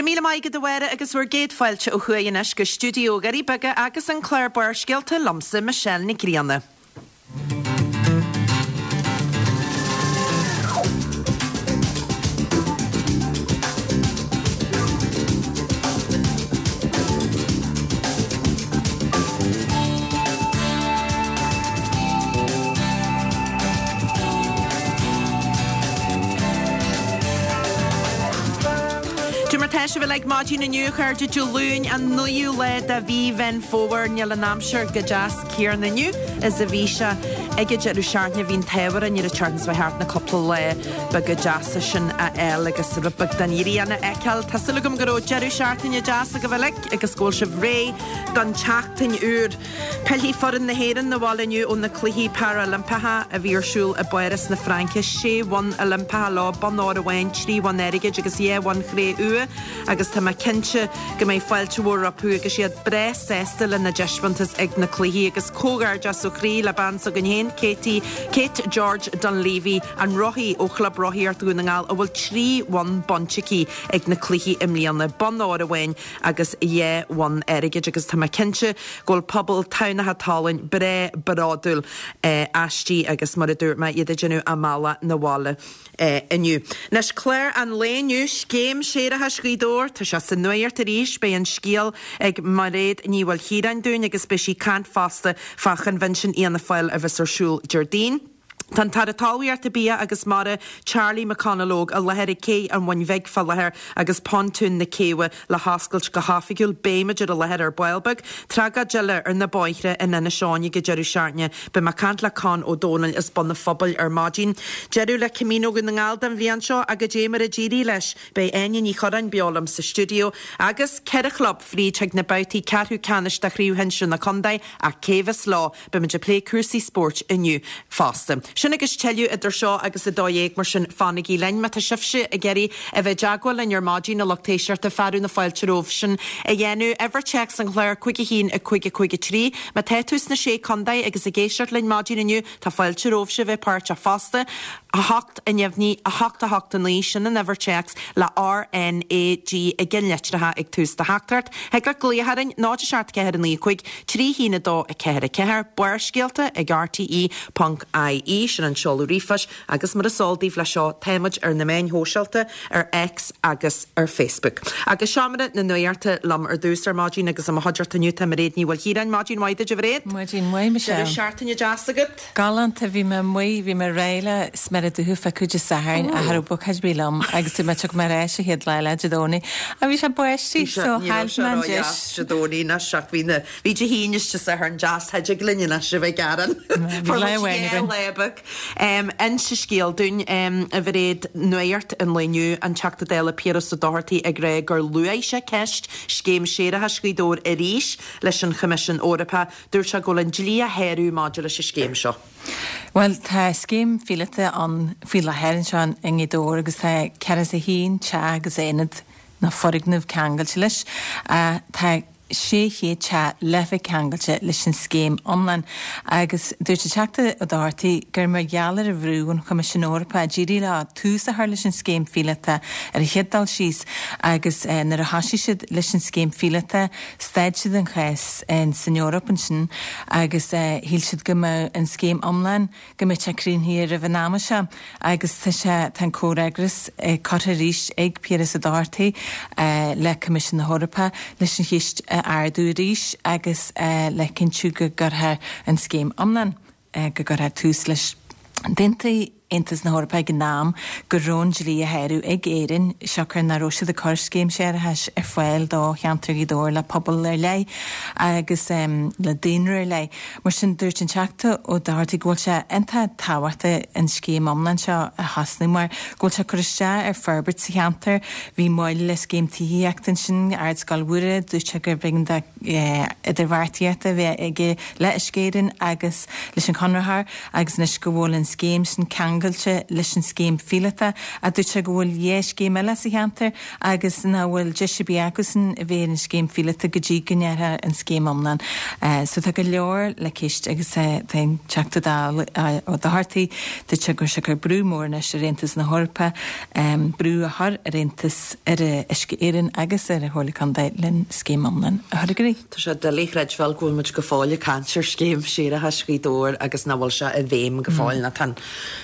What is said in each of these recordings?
Go raibh míle maith agat a Mháire agus bhur gcéad fáilte ó thuaidh anois go stiúideo Dhoirí Beaga agus an clár Barrscéalta liomsa Michelle Nic Grianna. Cad é mar tá sibh uilig maidin inniu, a chairde, Dé Luain, an 9ú lá de mhí Mheán Fómhair. Níl an aimsir chomh deas céanna inniu is a bhí sé ag an deireadh seachtaine. Bhí an t-ádh orainn ar an tseachtain seo thart na cúpla lá beaga deasa sin a fháil agus rud beag den ghrian a fheiceáil. Tá súil agam go raibh deireadh seachtaine deas agaibh uilig agus go bhfuil sibh réidh don tseachtain úr. Pillfidh foireann na hÉireann 'na bhaile inniu ó na Cluichí Parailimpeacha a bhí ar siúl i bPáras na Fraince. Sé bhonn Oilimpeacha leo, bonn óir amháin, 3 bhonn airgid agus 2 bhonn chré-umha agus tá mé cinnte go mbeidh fáilte mhór rompu agus iad breá sásta lena dtaispeántas ag na cluichí agus comhghairdeas ó chroí le bean s'againn féin, Katie, Kate George Dunleavy, an rothaí ó Chlub Rothaíocht Dhún na nGall a bhfuil 3 bhonn bainte aici ag na cluichí i mbliana, bonn óir amháin agus 2 bhonn airgid agus tá mé cinnte go bhfuil pobal Thamhnach Talainn breá bródúil aisti agus mar a dúirt mé, iad ag déanamh a mbealach 'na bhaile inniu. Anois, clár an lae inniu, Scéim Séarachais Ghaoth Dobhair, tá sé sa nuaíocht arís, beidh an scéal ag Mairéad Ní Mhaoilchiaráin dúinn agus beidh sí ag caint fosta fá Choinbhinsiún Fhianna Fáil a bheas ar siúl Déardaoin. Tá an tAire Talmhaíochta, Bia agus Mara, Charlie McConalogue, i láthair ag Cé an Bhuin Bhig fá láthair agus Pontún na Céibhe le hoscailt go hoifigiúil. Beimid ar an láthair ar ball beag. Tragóid eile ar na bóithre in Inis Eoghain ag an deireadh seachtaine. Beidh mé ag caint le Con Ó Dónaill as Bun an Phobail ar maidin. Deireadh le Camino Dhún na nGall don bhliain seo ach goidé mar a d'éirigh leis. Beidh Áine Ní Churráin beo liom sa stiúideo agus 4 chlub fríd chuig na babhtaí ceathrú ceannais de Chraobh Shinsir na Contae ach cé bheas leo? Beimid ag plé cúrsaí spóirt inniu fosta. Sin agus tuilleadh idir seo agus 12 mar sin fanaigí linn. Má tá sibhse ag iarraidh a bheith i dteagmháil linn ar maidin, a lucht éisteachta, fearadh na fáilte romhaibh sin a dhéanamh. Uimhir téacs an chláir 5 1 5 5 3. Má tá tú sna Sé Contae agus ag éisteacht linn maidin inniu, tá fáilte romhaibhse a bheith páirteach fosta. 8 a neamhní, 8 8 9, sin an uimhir téacs le RNAG i gceannlitreacha ag tús do theachtaireacht. Thig leat glaoch orainn, 0 7 4 9 5 3 1 2 4 4, Barrscéalta ag rte ponc ie, sin an seoladh ríomhphoist agus mar is eol daoibh leis seo táimid ar na meáin shóisialta, ar X agus ar Facebook. Agus seomra na nuachta liom ar dtús ar maidin agus i mo chuideachta inniu tá Mairéad Ní Mhaoilchiaráin. Maidin mhaith duit a Mhairéad. Maidin mhaith Michelle. Deireadh seachtaine deas agat? Galánta, bhí mé amuigh, bhí mé réidh le sméara dubha a phiocadh Dé Sathairn ach cha raibh ócáid ar bith liom agus dúirt mé tiocfaidh mé ar ais an chéad lá eile Dé Domhnaigh ach bhí sé báistí Bhí sé, so ní raibh chaill sé mé an ró-dheas deis. Dé Domhnaigh anois ach bhí na, bhí Dé hAoine is Dé Sathairn deas thig linn anois a bheith ag gearán. Bhí Fuair lá muid amháin dhá againn. lá beag. Inis an scéal dúinn, a Mhairéad, nuacht an lae inniu, an Teachta Dála Piaras Ó Dochartaigh ag rá gur luaigh sé ceist Scéim Séarachais Ghaoth Dobhair arís leis an Choimisiún Eorpach. Dúirt sé go bhfuil an dlí á shárú maidir leis an scéim seo. Bhuel, tá scéim phíolóta ann faoi láthair anseo i nGaoth Dobhair agus tá 41 teach agus aonad nó foirgneamh ceangailte leis. Tá 600 teach le bheith ceangailte leis an scéim iomlán agus dúirt an Teachta Ó Dochartaigh gur mar gheall ar an bhrú ón Choimisiún Eorpach a d'éirigh leo tús a chur leis an scéim phíolóta ar an chéad dul síos agus nuair a thosaigh siad leis an scéim phíolóta Stad siad an chás san Eoraip ansin agus shíl siad go mbeadh an scéim iomlán, go mbeadh sé críochnaithe roimh an ama seo agus tá sé, tá an comhfhreagras curtha arís ag Piaras Ó Dochartaigh le Coimisiún na hEorpa leis an cheist a ardú arís agus le cinntiú go gcuirfear an scéim iomlán, go gcuirfear tús leis. D'aontaigh Aontas na hEorpa ag an am go raibh an dlí á shárú ag Éirinn, siocair nach raibh siad ag cur scéim séarachais ar fáil do cheantar Ghaoth Dobhair le pobal ar leith agus le daonra ar leith. Mar sin, dúirt an Teachta Ó Dochartaigh go bhfuil sé iontach tábhachtach an scéim iomlán seo a thosnú mar go bhfuil sé ag cur isteach ar forbairt sa cheantar. Bhí moill le scéim tithíochta ansin, Ardscoil Mhuire, dúirt sé gurb éigean do idirbheartaíocht a bheith aige le Uisce Éireann agus leis an chonraitheoir agus anois go bhfuil an scéim sin ceangailte. ceangailte leis an scéim phíolótach ach dúirt sé go bhfuil dhá scéim eile sa cheantar agus nach bhfuil deis ar bith acusan a bheith ar an scéim phíolótach go dtí go ndéarfar an scéim iomlán. So tá go leor le ceist agus tá an Teachta Dála Ó Dochartaigh, dúirt sé go bhfuil sé ag cur brú mór anois ar Aontas na hEorpa brú a chur ar Aontas, ar Uisce Éireann agus ar an Chomhairle Contae len scéim iomlán a chur i gcrích. Tá sé doiligh a chreidbheáil go bhfuil muid go fóill ag caint ar scéim séarachais Ghaoth Dobhair agus nach bhfuil sé i bhfeidhm go fóill nó tá an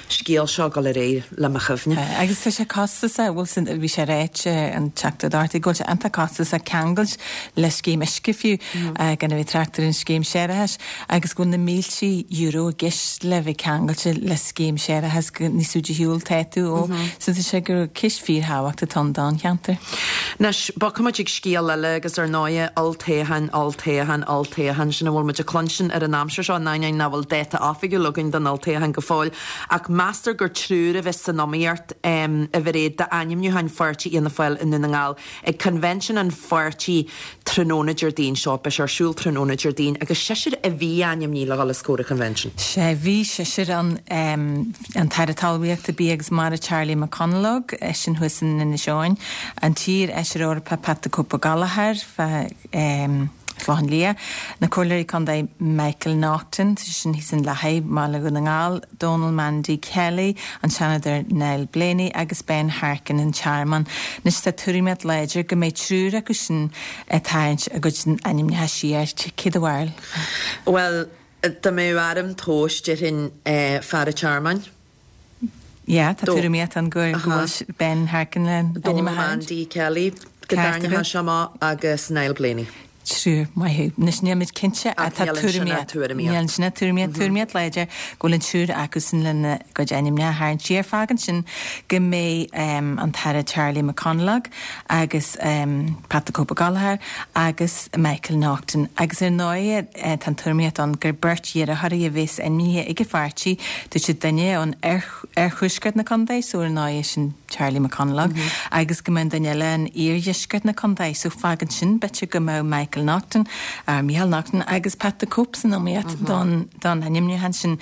scéal seo ag dul ar aghaidh le mo chuimhne. Agus tá sé costasach, bhfuil san, bhí sé ráite an Teachta Ó Dochartaigh go bhfuil sé iontach costasach ceangailt le scéim uisce fiú, gan a bheith ag trácht ar an scéim séarachais, agus go bhfuil na mílte euro i gceist le bheith ceangailte le scéim séarachais go níos faide ar shiúl tá tú ó. So tá sé gur ceist fíorthábhachtach atá ann don cheantar. Anois, bogfaidh muid ag scéal eile agus ar ndóighe, olltoghchán, olltoghchán, olltoghchán, sin a bhfuil muid ag cluinstin ar an aimsir seo, in ainneoin nach bhfuil dáta oifigiúil againn don olltoghchán go fóill. Ach meastar gur triúr a bheas san iomaíocht, a Mhairéad, d'ainmniúcháin pháirtí Fhianna Fáil i nDún na nGall Ag Convention an pháirtí tráthnóna Déardaoin seo, beidh sé ar siúl tráthnóna Déardaoin, agus seisear a bhí ainmnithe le dhul os comhair an Convention. Sea, bhí seisear ann, an tAire Talmhaíochta, Bia agus Mara Charlie McConalogue, eisean thuas in Inis Eoghain, an t-iar-fheisire Eorpach Pat the Cope Gallagher, Clochán Liath, na Comhairleoirí Contae Michael Naughton, tá sé sin thíos in Louth, Baile Dhún na nGall, Donal Mandy Kelly, an Seanadóir Niall Blaney agus Ben Harkin, an Tearmann. Anois tá tuairimíocht láidir go mbeidh triúr acu sin ag tarraingt a gcuid ainmneacha siar. Cé do bharúil? Bhuel, dá mbeadh orm tomhas, déarfainn fear an Tearmainn. Yeah, tá tuairimíocht ann go bhfuil Ben Harkin le ainm a tharraingt. Donal Mandy Kelly, go dtarraingeodh sé amach agus Niall Blaney. Triúr, maith thú. Anois nílimid cinnte ach tá tuairimíocht, níl ansin ach tuairimíocht, tuairimíocht láidir go bhfuil an triúr acusan lena gcuid ainmneacha a tharraingt siar. Fágann sin go mbeidh an tAire Charlie McConalogue agus Pat the Cope Gallagher agus Michael Naughton. Agus ar ndóigh tá an tuairimíocht ann gur beirt iarrthóirí a bheas ainmnithe ag an pháirtí, dúirt siad duine ón oirthuaisceart na contae, so ar ndóigh sin Charlie McConalogue, agus go mbeadh an duine eile in iardheisceart na contae, so fágann sin b'fhéidir go mbeadh Michael Naughton, or Micheál Naughton agus Pat the Cope san iomaíocht don don ainmniúchán sin.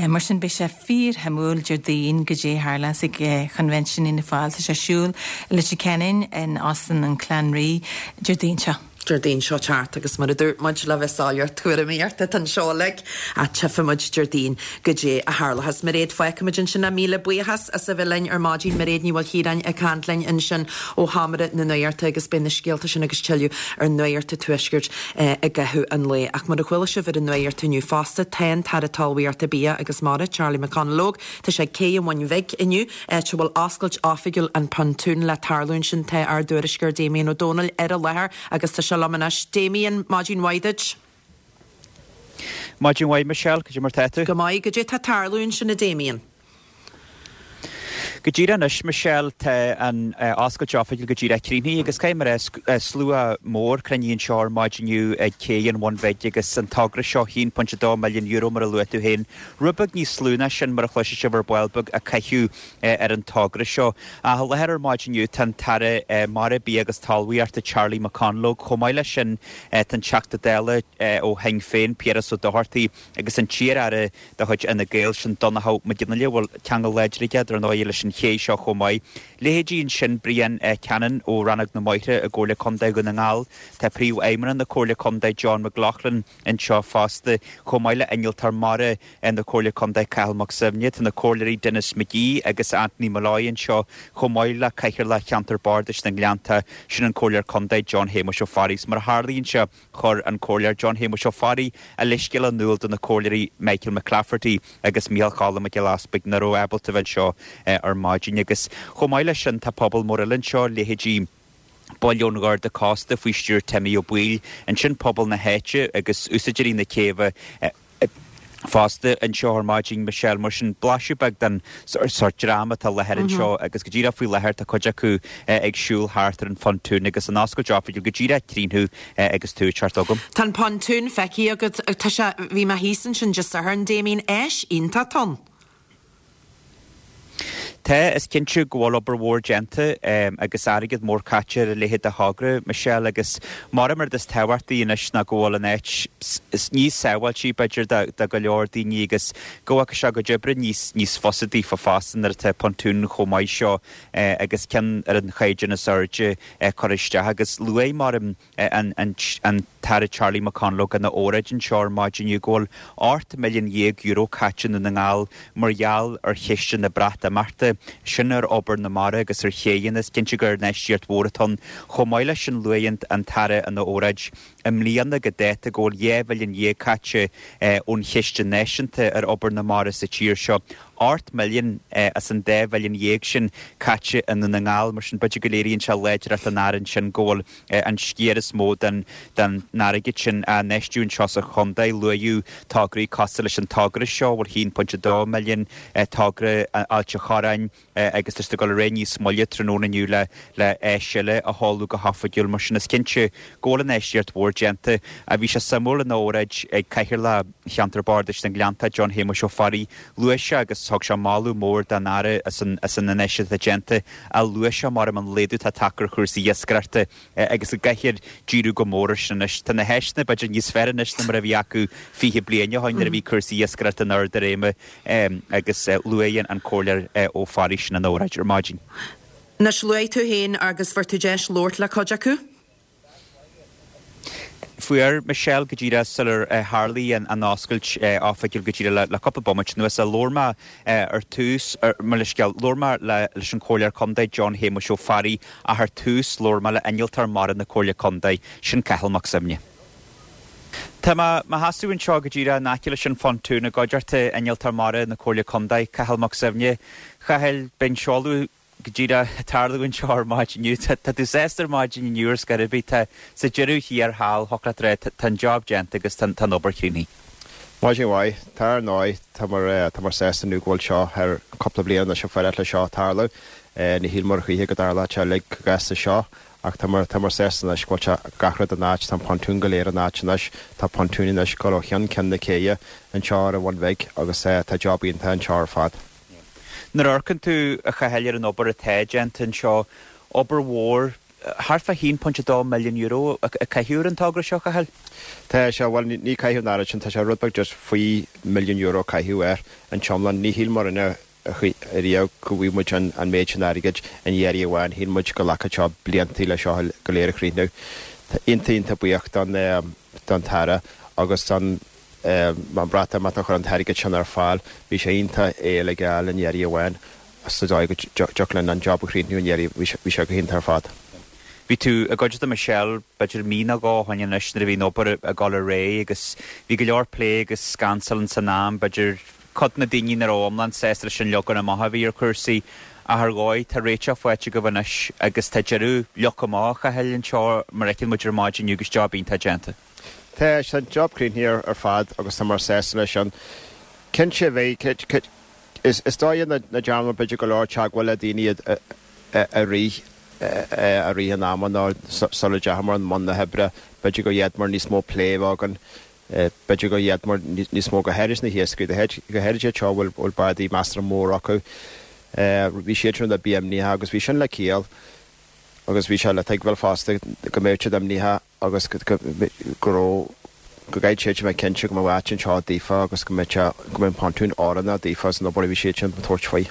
Mar sin beidh sé fíorshuimiúil Déardaoin goidé a tharlós ag Convention Fhianna Fáil. Tá sé ar siúl i Leitir Ceanainn in Óstán an Clanree Déardaoin seo. Déardaoin seo thart agus mar a dúirt muid le bheith soiléir tuairimíocht atá anseo uilig ach tchífidh muid Déardaoin goidé a tharlóchas. Mairéad fágfaidh muid ansin é. Míle buíochas as a bheith linn ar maidin. Mairéad Ní Mhaoilchiaráin ag caint linn ansin ó Sheomra na Nuachta agus beidh na scéalta sin agus tuilleadh ar Nuacht an Tuaiscirt i gcaitheamh an lae. Ach mar a chuala sibh ar an Nuacht inniu fosta tá an tAire Talmhaíochta Bia agus Mara, Charlie McConalogue, tá sé ag Cé an Bhuin Bhig inniu áit a bhfuil oscailt oifigiúil an Pontoon le tarlú ansin. Tá ár dtuairisceoir Damien Ó Dónaill ar an láthair agus tá sé liom anois. Damien, maidin mhaith duit. Maidin mhaith Michelle, cad é mar tá tú? Go maith, cad é tá ag tarlú ansin a Damien? Go díreach anois Michelle, tá an oscailt oifigiúil go díreach críochnaithe agus caithfidh mé a rá, slua mór cruinnithe anseo ar maidin inniu ag Cé an Bhun Bhig agus an togra seo, €1.2 milliún mar a luaigh tú féin, Rud beag níos lú ná sin, mar a chloisfidh sibh ar ball beag, a caitheadh ar an togra seo. Ach i láthair ar maidin inniu tá an tAire Mara, Bia agus Talmhaíochta Charlie McConalogue. Chomh maith leis sin tá an Teachta Dála ó Shinn Féin, Piaras Ó Dochartaigh agus an t-iar-aire de chuid Fhine Gael, sin Donnchadh Mac Fhionnghaile, a bhfuil ceangal láidir aige, dar ndóigh, leis an ché seo chomh maith. Leithéidí ansin Brian Cannon ó Rannóg na mBóithre i gComhairle Contae Dhún na nGall, tá Príomhfheidhmeannach na Comhairle Contae John McLaughlin, anseo fosta, chomh maith le Innealtóir Mara na Comhairle Contae Cathal Mac Suibhne. Tá na Comhairleoirí Denis McGee agus Anthony Molloy anseo, chomh maith le Cathaoirleach Cheantar Bardais na nGleannta, sin an Comhairleoir Contae John Shéamuis Ó Fearraigh. Mar a tharlaíonn sé, chuir an Comhairleoir John Shéamuis Ó Fearraigh a leithscéal in iúl do na Comhairleoirí Michael McClafferty agus Micheál Choilm Mac Giolla Easpaig nach raibh ábalta a bheith anseo ar maidin. Agus chomh maith leis sin, tá pobal mór eile anseo, leithéidí. Baill ón Gharda Cósta faoi stiúir Timmy Ó Baoill, ansin pobal na háite agus úsáideoirí na céibhe fosta anseo ar maidin, Michelle, mar sin blaiseadh beag den sórt dream atá i láthair anseo agus go díreach faoi láthair tá cuid acu ag siúl thart ar an phontún agus an oscailt oifigiúil go díreach críochnaithe agus tú ag teacht chugam. Tá an pontún feicthe agat, tá sé, bhí mé thíos ansin Dé Sathairn, Damien, áis iontach atá ann. Tá, is cinnte go bhfuil obair mhór déanta agus airgead mór caite ar a leithéid de thogra, Michelle, agus mar an rud is tábhachtaí anois ná go bhfuil an áit níos sábháiltí, b'fhéidir, do go leor daoine agus go bhfaca sé a gcuid oibre níos níos fusa daofa fosta nuair atá pontún chomh maith seo agus ceann ar an chaighdeán is airde curtha isteach agus luaigh mar an tAire Charlie McConalogue ina óráid anseo ar maidin inniu go bhfuil €18 milliún caite i nDún na nGall mar gheall ar chiste na Breatimeachta, sin ar obair na mara agus ar chéidheanna. Is cinnte gur infheistíocht mhór atá ann. Chomh maith leis sin luaigh an tAire ina óráid i mbliana go dáta go bhfuil 12 mhilliún caite ón chiste náisiúnta ar obair na mara sa tír seo. 8 milliún as an 12 mhilliún sin caite i nDún na nGall, mar sin b'fhéidir go léiríonn sé láidreacht an Aire ansin go bhfuil an sciar is mó den airgead sin á infheistiú anseo sa chontae. Luaíodh tograí cosúil leis an togra seo, a bhfuil 1.2 milliún, togra Ailt an Chorráin agus tá siad ag dul ar aghaidh níos moille tráthnóna inniu le áis eile a sheoladh go hoifigiúil. Mar sin is cinnte go bhfuil infheistíocht mhór déanta. Bhí sé suimiúil ina óráid ag Cathaoirleach Cheantar Bardais na nGleanntach, John Shéamuis Ó Fearraigh, luaigh sé agus thug sé moladh mór don Aire as an infheistíocht atá déanta ach luaigh sé mar an laghdú atá tagtha ar chúrsaí iascaireachta agus go gcaithfear díriú go mór air sin anois. Tá na háiseanna b'fhéidir níos fearr anois ná mar a bhí acu 20 bliain ó shin nuair a bhí cúrsaí iascaireachta in ard a réime agus luaigh an Comhairleoir Ó Fearraigh sin ina óráid ar maidin. Anois luaigh tú féin agus fuair tú deis labhairt le cuid acu. Fuair Michelle go díreach sular tharlaigh an oscailt oifigiúil go díreach le cúpla bomaite anuas. Labhair mé ar tús, mo leithscéal, labhair mé leis an Chomhairleoir Contae John Shéamuis Ó Fearraigh ach ar tús labhair mé le Innealtóir Mara na Comhairle Contae, sin Cathal Mac Suibhne. Tá mé mo sheasamh anseo go díreach in aice leis an phontún i gcuideachta Innealtóir Mara na Comhairle Contae, Cathal Mac Suibhne. Chathail, beidh an seoladh go díreach ag tarlú anseo ar maidin inniu. Tá tú sásta ar maidin inniu ar scor ar bith. Tá, sa deireadh thiar thall, thiocfadh leat a rá, tá an job déanta agus tá an obair críochnaithe. Maidin mhaith. Tá ar ndóigh, tá muid, tá muid sásta inniu go bhfuil seo thar cúpla bliain anois ag faire le seo tarlú. Ní shíl muid choíche go dtarlódh sé uilig chomh gasta seo ach tá muid, tá muid sásta anois go bhfuil sé, gach rud in áit, tá an pontún go léir in áit anois, tá pontún anois ag dul ó cheann ceann na céidhe anseo ar an Bhun Bhig agus tá job iontach anseo ar fad. Nuair a amharcann tú, a Chathail, ar an obair atá déanta anseo, obair mhór, thart fá €1.2 milliún a caitheadh ar an togra seo, a Chathail? Tá sé, bhuel, ní caitheadh an oiread sin, tá sé rud beag just faoi mhilliún euro a caitheadh air an t-iomlán. Ní shíl muidne riamh go bhfaighidh muid an méid sin airgid in iarraidh amháin, shíl muid go nglacfadh seo bliantaí le seo go léir a chríochnú. Tá iontach, iontach buíoch don tAire agus don. An Bhreatimeacht a chuir an t-airgead sin ar fáil. Bhí sé iontach é uilig a fháil in iarraidh amháin sa dóigh go dtiocfadh linn an job a chríochnú in iarraidh. Bhí sé go hiontach ar fad. Bhí tú i gcuideachta Michelle b'fhéidir mí nó dhó ó shin anois nuair a bhí an obair ag dul ar aghaidh agus bhí go leor plé agus scansail ins an am, b'fhéidir cuid de na daoine nach raibh iomlán sásta leis an leagan amach a bhí ar chúrsaí ach ar dhóigh tá réiteach faighte agaibh anois agus tá deireadh leagtha amach a Chathail anseo mar a fheiceann muid ar maidin inniu agus job iontach déanta. Tá an job críochnaithe ar fad agus tá muid sásta leis sin. Cinnte bheidh, is dóigh nach ndearna muid b'fhéidir go leor teagmháil le daoine i rith i rith an ama nó sula ndeachamar i mbun na hoibre, b'fhéidir go bhféadfamar níos mó plé a bheith againn, b'fhéidir go bhféadfamar níos mó go háirid na hiascairí, go háirid iad seo a bhfuil bádaí measartha mór acu. Bhí siad sin rud beag imníoch agus bhí sin le ciall agus bhí sé le tuigbheáil fosta go mbeadh siad imníoch. agus go raibh, go gcaithfidh siad a bheith cinnte go mbeadh áit anseo daofa agus go mbeadh sé, go mbeadh an pontún oiriúnach daofa san obair a bhí siad sin ag tabhairt faoi.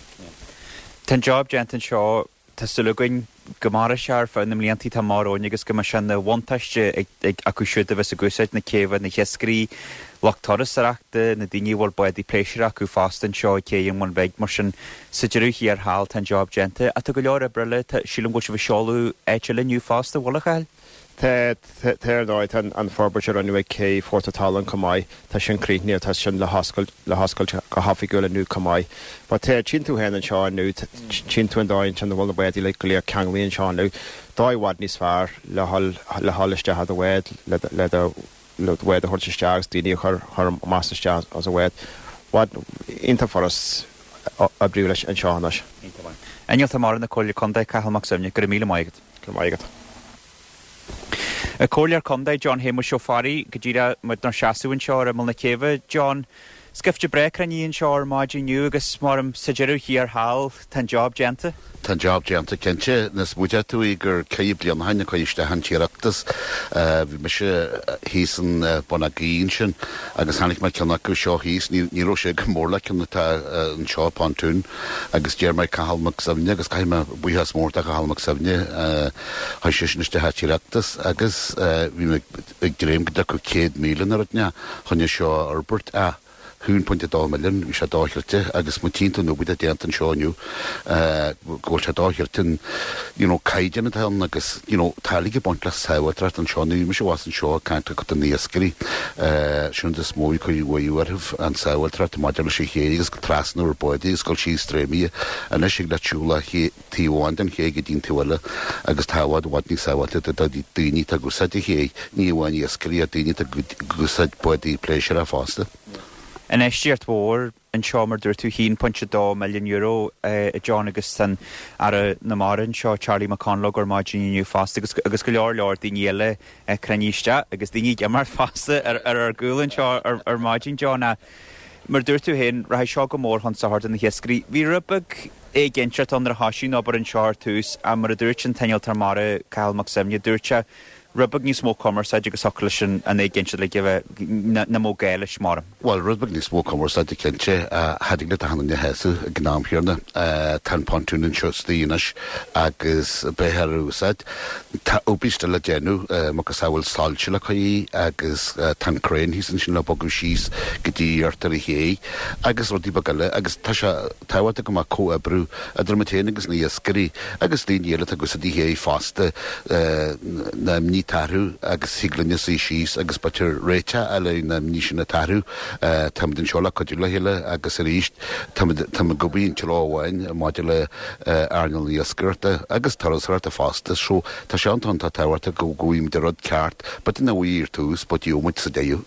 Tá an job déanta anseo, tá súil againn go mairfidh sé ar feadh na mblianta atá amach romhainn agus go mbeidh sé ina bhuntáiste ag acu siúd a bheas ag úsáid na céibhe, na hiascairí, lucht turasóireachta, na daoine a bhfuil bádaí pléisiúir acu fosta anseo ag Cé an Bhun Bhig. Mar sin, sa deireadh thiar thall, tá an job déanta. Ach tá go leor oibre eile, tá, sílim go bhfuil sibh ag seoladh áit eile inniu fosta, an bhfuil, a Chathail? Tá, tá ar ndóigh, tá an forbairt a rinneadh ag Cé Phort an tSalainn chomh maith, tá sin críochnaithe, tá sin le hoscailt, le hoscailt go hoifigiúil inniu chomh maith. But tá, tchíonn tú féin anseo inniu, tchíonn tú an dóigh ansin a bhfuil na bádaí uilig go léir ceanglaithe anseo inniu, dóigh i bhfad níos fearr le dhul, le dhul isteach i do bhád, le, le do, le do bhád a thabhairt isteach agus daoine a chur, chur amach is isteach as an bhád. Bhfad, iontach furast oibriú leis anseo anois. Iontach maith. Innealtóir Mara na Comhairle Contae, Cathal Mac Suibhne, go raibh míle maith agat. Go raibh maith agat. Comhairleoir Contae John Shéamuis Ó Fearraigh, go díreach muid inár seasamh anseo ar imeall na céibhe. John, Scaifte breá cruinnithe anseo ar maidin inniu agus maram sa deireadh thiar thall tá an job déanta. Tá an job déanta cinnte. Nuair a smaointeodh tú é gur 4 bliana ó shin a cuireadh isteach an t-iarratas. Bhí mise thíos in Bun Átha Gaoith ansin agus chonaic mé ceann acu seo thíos. Ní raibh sé go mór le ceann atá anseo, Pontoon, agus d'iarr mé Cathal Mac Suibhne agus caithfidh mé buíochas mór do Chathal Mac Suibhne, chuir seisean isteach an t-iarratas agus bhí mé ag dréim go dtiocfadh 100,000 nó rud inteacht chun é seo a fhorbairt ach 1.2 milliún, bhí sé dochreidte agus má tchíonn tú an obair atá déanta anseo inniu go bhfuil sé dochreidte an you know caighdeán atá ann agus you know tá uilig ag baint le sábháilteacht anseo, nuair a bhí mise abhus anseo ag caint le cuid de na iascairí sin an rud is mó a chuir uaidh orthu an sábháilteacht maidir leis an ché agus trasnú ar bádaí agus dul síos dréimire anois thig leat siúl taobh amháin den ché go dtí an taobh eile agus tá i bhfad i bhfad níos sábháilte do daoine atá ag úsáid an ché, ní amháin iascairí ach daoine atá ag úsáid bádaí pléisiúir fosta. Infheistíocht mhór anseo mar dúirt tú, €1.2 milliún, a John agus tá an Aire na Mara anseo, Charlie McConalogue ar maidin inniu fosta agus agus go leor leor daoine eile cruinnithe isteach agus daoine ag imeacht fosta ar ar ár gcúl anseo ar maidin, John. Mar dúirt tú féin, rachaidh seo go mór chun sochair do na hiascairí. Bhí rud beag éiginnteacht ann nuair a thoisigh an obair anseo ar tús ach mar a dúirt an t-innealtóir mara, Cathal Mac Suibhne, dúirt sé, rud beag níos mó cumarsáide agus thiocfadh leis an éiginnteacht uilig a bheith, nach mbeadh gá leis, maram. Bhuel, rud beag níos mó cumarsáide cinnte, cha dtig leat achan duine a shásamh ag an am chéanna. Tá an pontún anseo istigh anois agus beidh ar úsáid. Tá obair still le déanamh, macasamhail soilse le cur agus tá an crane thíos ansin le bogadh síos go dtí iarthar an ché agus rudaí beaga eile agus tá sé tábhachtach go mbeadh comhoibriú idir muid féin agus na hiascairí agus daoine eile atá ag úsáid an ché fosta na imní atá orthu agus thig linne suí síos agus b'fhéidir réiteach a fháil ar na imní sin atá orthu. Táimid anseo le cuidiú le chéile agus arís táimid ag obair i dtreo amháin maidir le earnáil na hiascaireachta agus turasóireachta fosta. So tá sé iontach iontach tábhachtach go bhfaighimid an rud ceart, b'fhéidir nach bhfaighidh ar tús but gheobhaidh muid sa deireadh.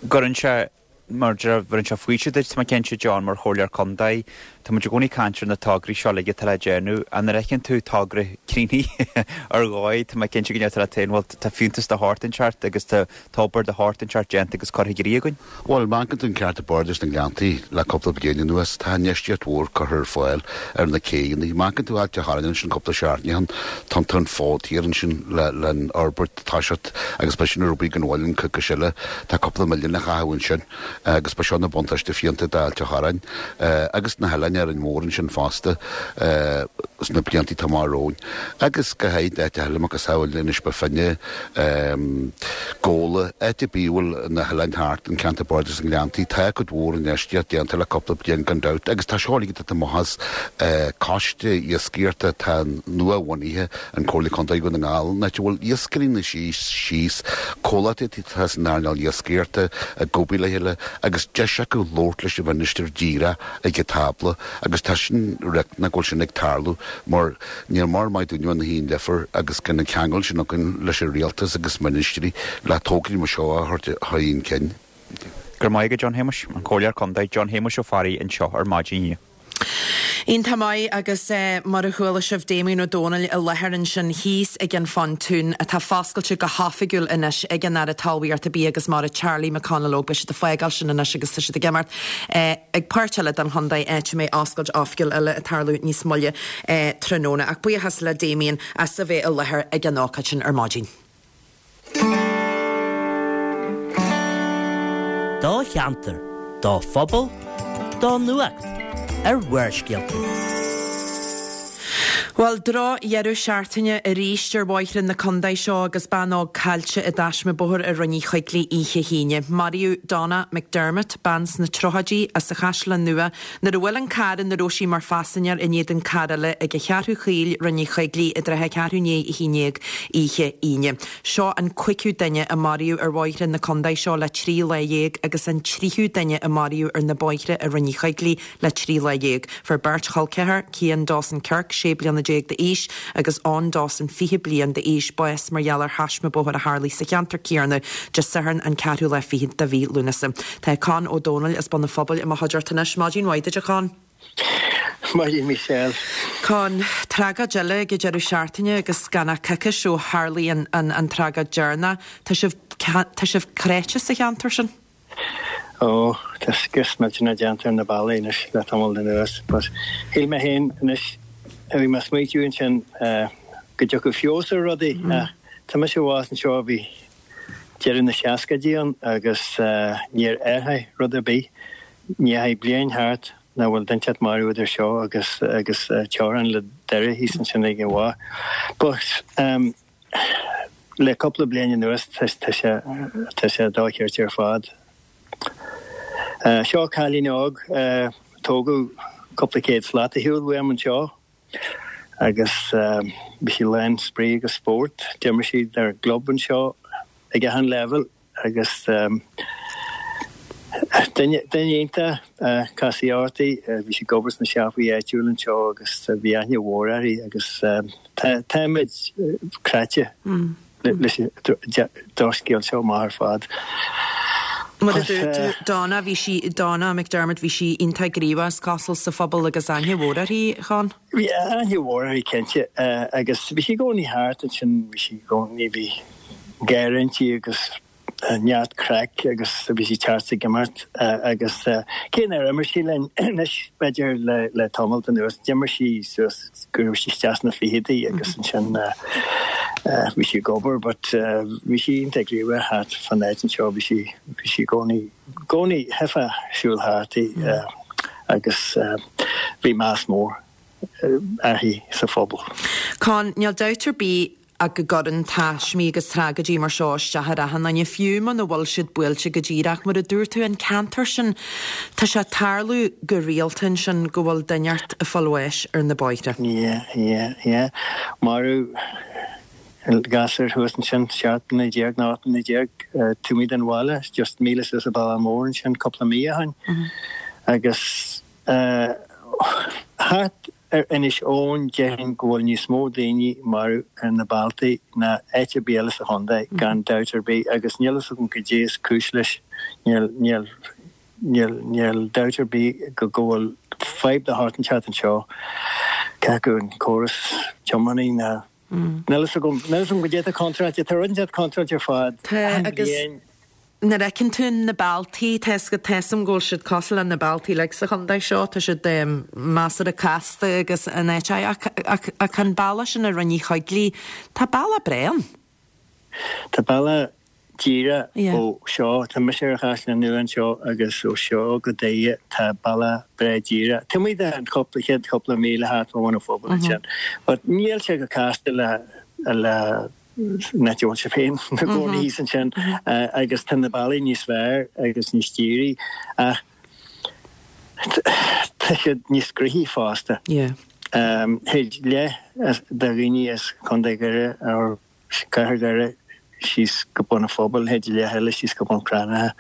Cuireann sé, mar bheireann sé faoiseamh duit, tá mé cinnte, John, mar chomhairleoir contae, tá muid i gcónaí ag caint ar na tograí seo uilig atá le déanamh, ach nuair a fheiceann tú togra críochnaithe ar dhóigh, tá mé cinnte go ndeir tú leat féin, bhuel, tá fiúntas de shórt inteacht agus tá obair de shórt inteacht déanta agus curtha i gcrích againn. Bhuel, má amharcann tú an ceantar bardais na nGleanntaí le cúpla bliain anuas, tá infheistíocht mhór curtha ar fáil ar na céanna. Má amharcann tú Ailt an Chorráin ansin cúpla seachtain ó shin, tá an fód thiar ansin le an fhorbairt toiseacht agus beidh sin ar obair gan mhoill an coicís eile. Tá cúpla milliún le caitheamh ansin agus beidh seo ina buntáiste fiúntach d'Ailt an Chorráin agus na hoileáin Árainn Mhór ansin fosta sna blianta atá amach romhainn. Agus go háirithe áiteacha eile, macasamhail Inis Bó Finne, Gabhla, áit ar bith a bhfuil na hoileáin thart, an ceantar bardais na nGleanntaí, tá cuid mhór infheistíocht déanta le cúpla bliain gan dabht agus tá seo uilig ag titim amach as coiste iascaireachta atá nua-bhunaithe an Comhairle Contae Dhún na nGall, an áit a bhfuil iascairí ina suí síos, comhlachtaí atá san earnáil iascaireachta ag obair le chéile agus deis acu labhairt leis an mhinistir díreach ag an tábla agus tá sin riachtanach go bhfuil sin ag tarlú mar Níl mar maith dúinn ina thaobh leifir agus gan an ceangal sin againn leis an rialtas agus ministrí le tograí mar seo a thabhairt chun cinn. Go raibh maith agat John Shéamuis, an Comhairleoir Contae John Shéamuis Ó Fearraigh anseo ar maidin inniu. Iontach maith agus mar a chuala sibh Damien Ó Dónaill i láthair ansin thíos ag an Phontún atá foscailte go hoifigiúil anois ag an Aire Talmhaíochta Bia agus Mara Charlie McConalogue. Beidh siad ag fágáil sin anois agus tá siad ag imeacht ag páirt eile den chontae áit a mbeidh oscailt oifigiúil eile ag tarlú níos moille tráthnóna. Ach buíochas le Damien as a bheith i láthair ag an ócáid sin ar maidin. Do cheantar, do phobal, do nuacht ar Bharrscéalta. Bhuel, drochdheireadh seachtaine arís ar bhóithre na contae seo agus bean óg caillte i dtaisme bóthair i Rinn Uí Choigligh oíche hAoine. Maraíodh Donna McDermott, bean sna tríochaidí as an Chaisleán Nua, Nuair a bhuail an carr ina raibh sí mar phaisinéir in éadan carr eile ag an Cheathrú Chaoil, Rinn Uí Choigligh, i dtrátha ceathrú i ndiaidh 11 oíche Aoine. Seo an cúigiú duine a maraíodh ar bhóithre na contae seo le 13 lá agus an tríú duine a maraíodh ar na bóithre i Rinn Uí Choigligh le 13 lá. Fuair beirt chol ceathar, Cian Dawson Kirk, 16 bliana d'aois, agus Eoin Dawson, 20 bliain d'aois, bás mar gheall ar thaisme bóthair a tharlaigh sa cheantar céanna Dé Sathairn an ceathrú lá fichead de mhí Lúnasa. Tá Con Ó Dónaill as Bun an Phobail i mo chuideachta anois. Maidin mhaith duit a Chon. Maidin Michelle. Con, tragóid eile ag an deireadh seachtaine agus gan ach coicís ó tharlaigh an an tragóid deireanach. Tá sibh tá sibh cráite sa cheantar sin? Ó, tá scrios millteanach déanta ar na bealaí anois le tamall anuas, but shíl mé féin anois, bhí mé ag smaoitiú ansin go dtiocfadh feabhas ar rudaí ach tá mise abhus anseo, bhí deireadh na seascaidí ann agus níor athraigh rud ar bith, ní dheachaigh bliain thart nach bhfuil duine inteacht marbh idir seo agus agus teorainn le Doire thíos ansin ag an Mhaigh. But le cúpla bliain anuas tá sé tá sé dochreidte ar fad. Seo cailín óg, tógadh cúpla céad slat ar shiúl uaim anseo agus bhí sí lán spraoi agus spórt. D'imir sí dár gclub anseo ag achan leibhéal. Agus duine iontach, casfaí uirthi, bhí sí ag obair sna siopaí áitiúil anseo agus bhí aithne mhór uirthi agus táimid cráite leis an drochscéal seo amach ar fad. Mar a dúirt tú, Donna, bhí sí, Donna McDermott, bhí sí iontach gníomhach is cosúil sa phobal agus aithne mhór uirthi, Con. Bhí aithne mhór uirthi cinnte agus bhí sí i gcónaí thart ansin, bhí sí i gcónaí, bhí gáire inti agus neart craic agus bhí sí teacht ag imirt agus cé nár imir sí linn anois b'fhéidir le tamalt anuas, d'imir sí suas go raibh sí isteach sna fichidí agus ansin bhí sí ag obair but bhí sí iontach gníomhach thart fán áit anseo, bhí sí bhí sí i gcónaí gcónaí theifeá siúl thart í agus bhí meas mór uirthi sa phobal. Con, níl dabht ar bith ach go gcuireann taismí agus tragóidí mar seo isteach ar achan duine, fiú muna bhfuil siad buailte go díreach. Mar a dúirt tú, an ceantar sin, tá sé ag tarlú go rialta ansin go bhfuil duine inteacht ag fáil bháis ar na bóithre. Yeah, yeah, yeah. Maraíodh gasúr thuas ansin, 17 mbliana nó 18 mbliana, taobh amuigh den bhaile, just míle suas an bealach mór ansin cúpla mí ó shin. Agus thart Ar Inis Eoghain, déarfainn go bhfuil níos mó daoine marbh ar na bealtaí ná áit ar bith eile sa chontae, gan dabht ar bith, agus níl fhios agam goidé is cúis leis. Níl, níl, níl, níl dabht ar bith go, go bhfuil fadhb de shórt inteacht anseo, cé acu an córas tiománaí ná, níl fhios agam, níl fhios agam goidé atá contráilte, tá rud inteacht contráilte ar fad, Tá, achan agus. bhliain. Nuair a fheiceann tú na bealtaí, tá 'fhios agat, tá 'fhios a'm go bhfuil siad cosúil le na bealtaí uilig sa chontae seo, tá siad measartha casta agus in áit ach, ach, ach an bealach sin ar Rinn Uí Choigligh, tá bealach breá ann. Tá bealach díreach ó seo, tá mise ar an Chaisleán Nua anseo agus ó seo go Doire tá bealach breá díreach. Taobh amuigh den chúpla, chéad chúpla míle thart fá Bhun an Phobail ansin. But níl sé chomh casta le, le an áit a bhfuil sibh féin ina gcónaí thíos ansin agus tá na bealaí níos fearr agus níos dírí ach tá siad níos gnoithí fosta. Théid leath de dhaoine as Contae Dhoire or Cathair Dhoire síos go Bun an Phobail, théid leath eile síos go Bun Cranncha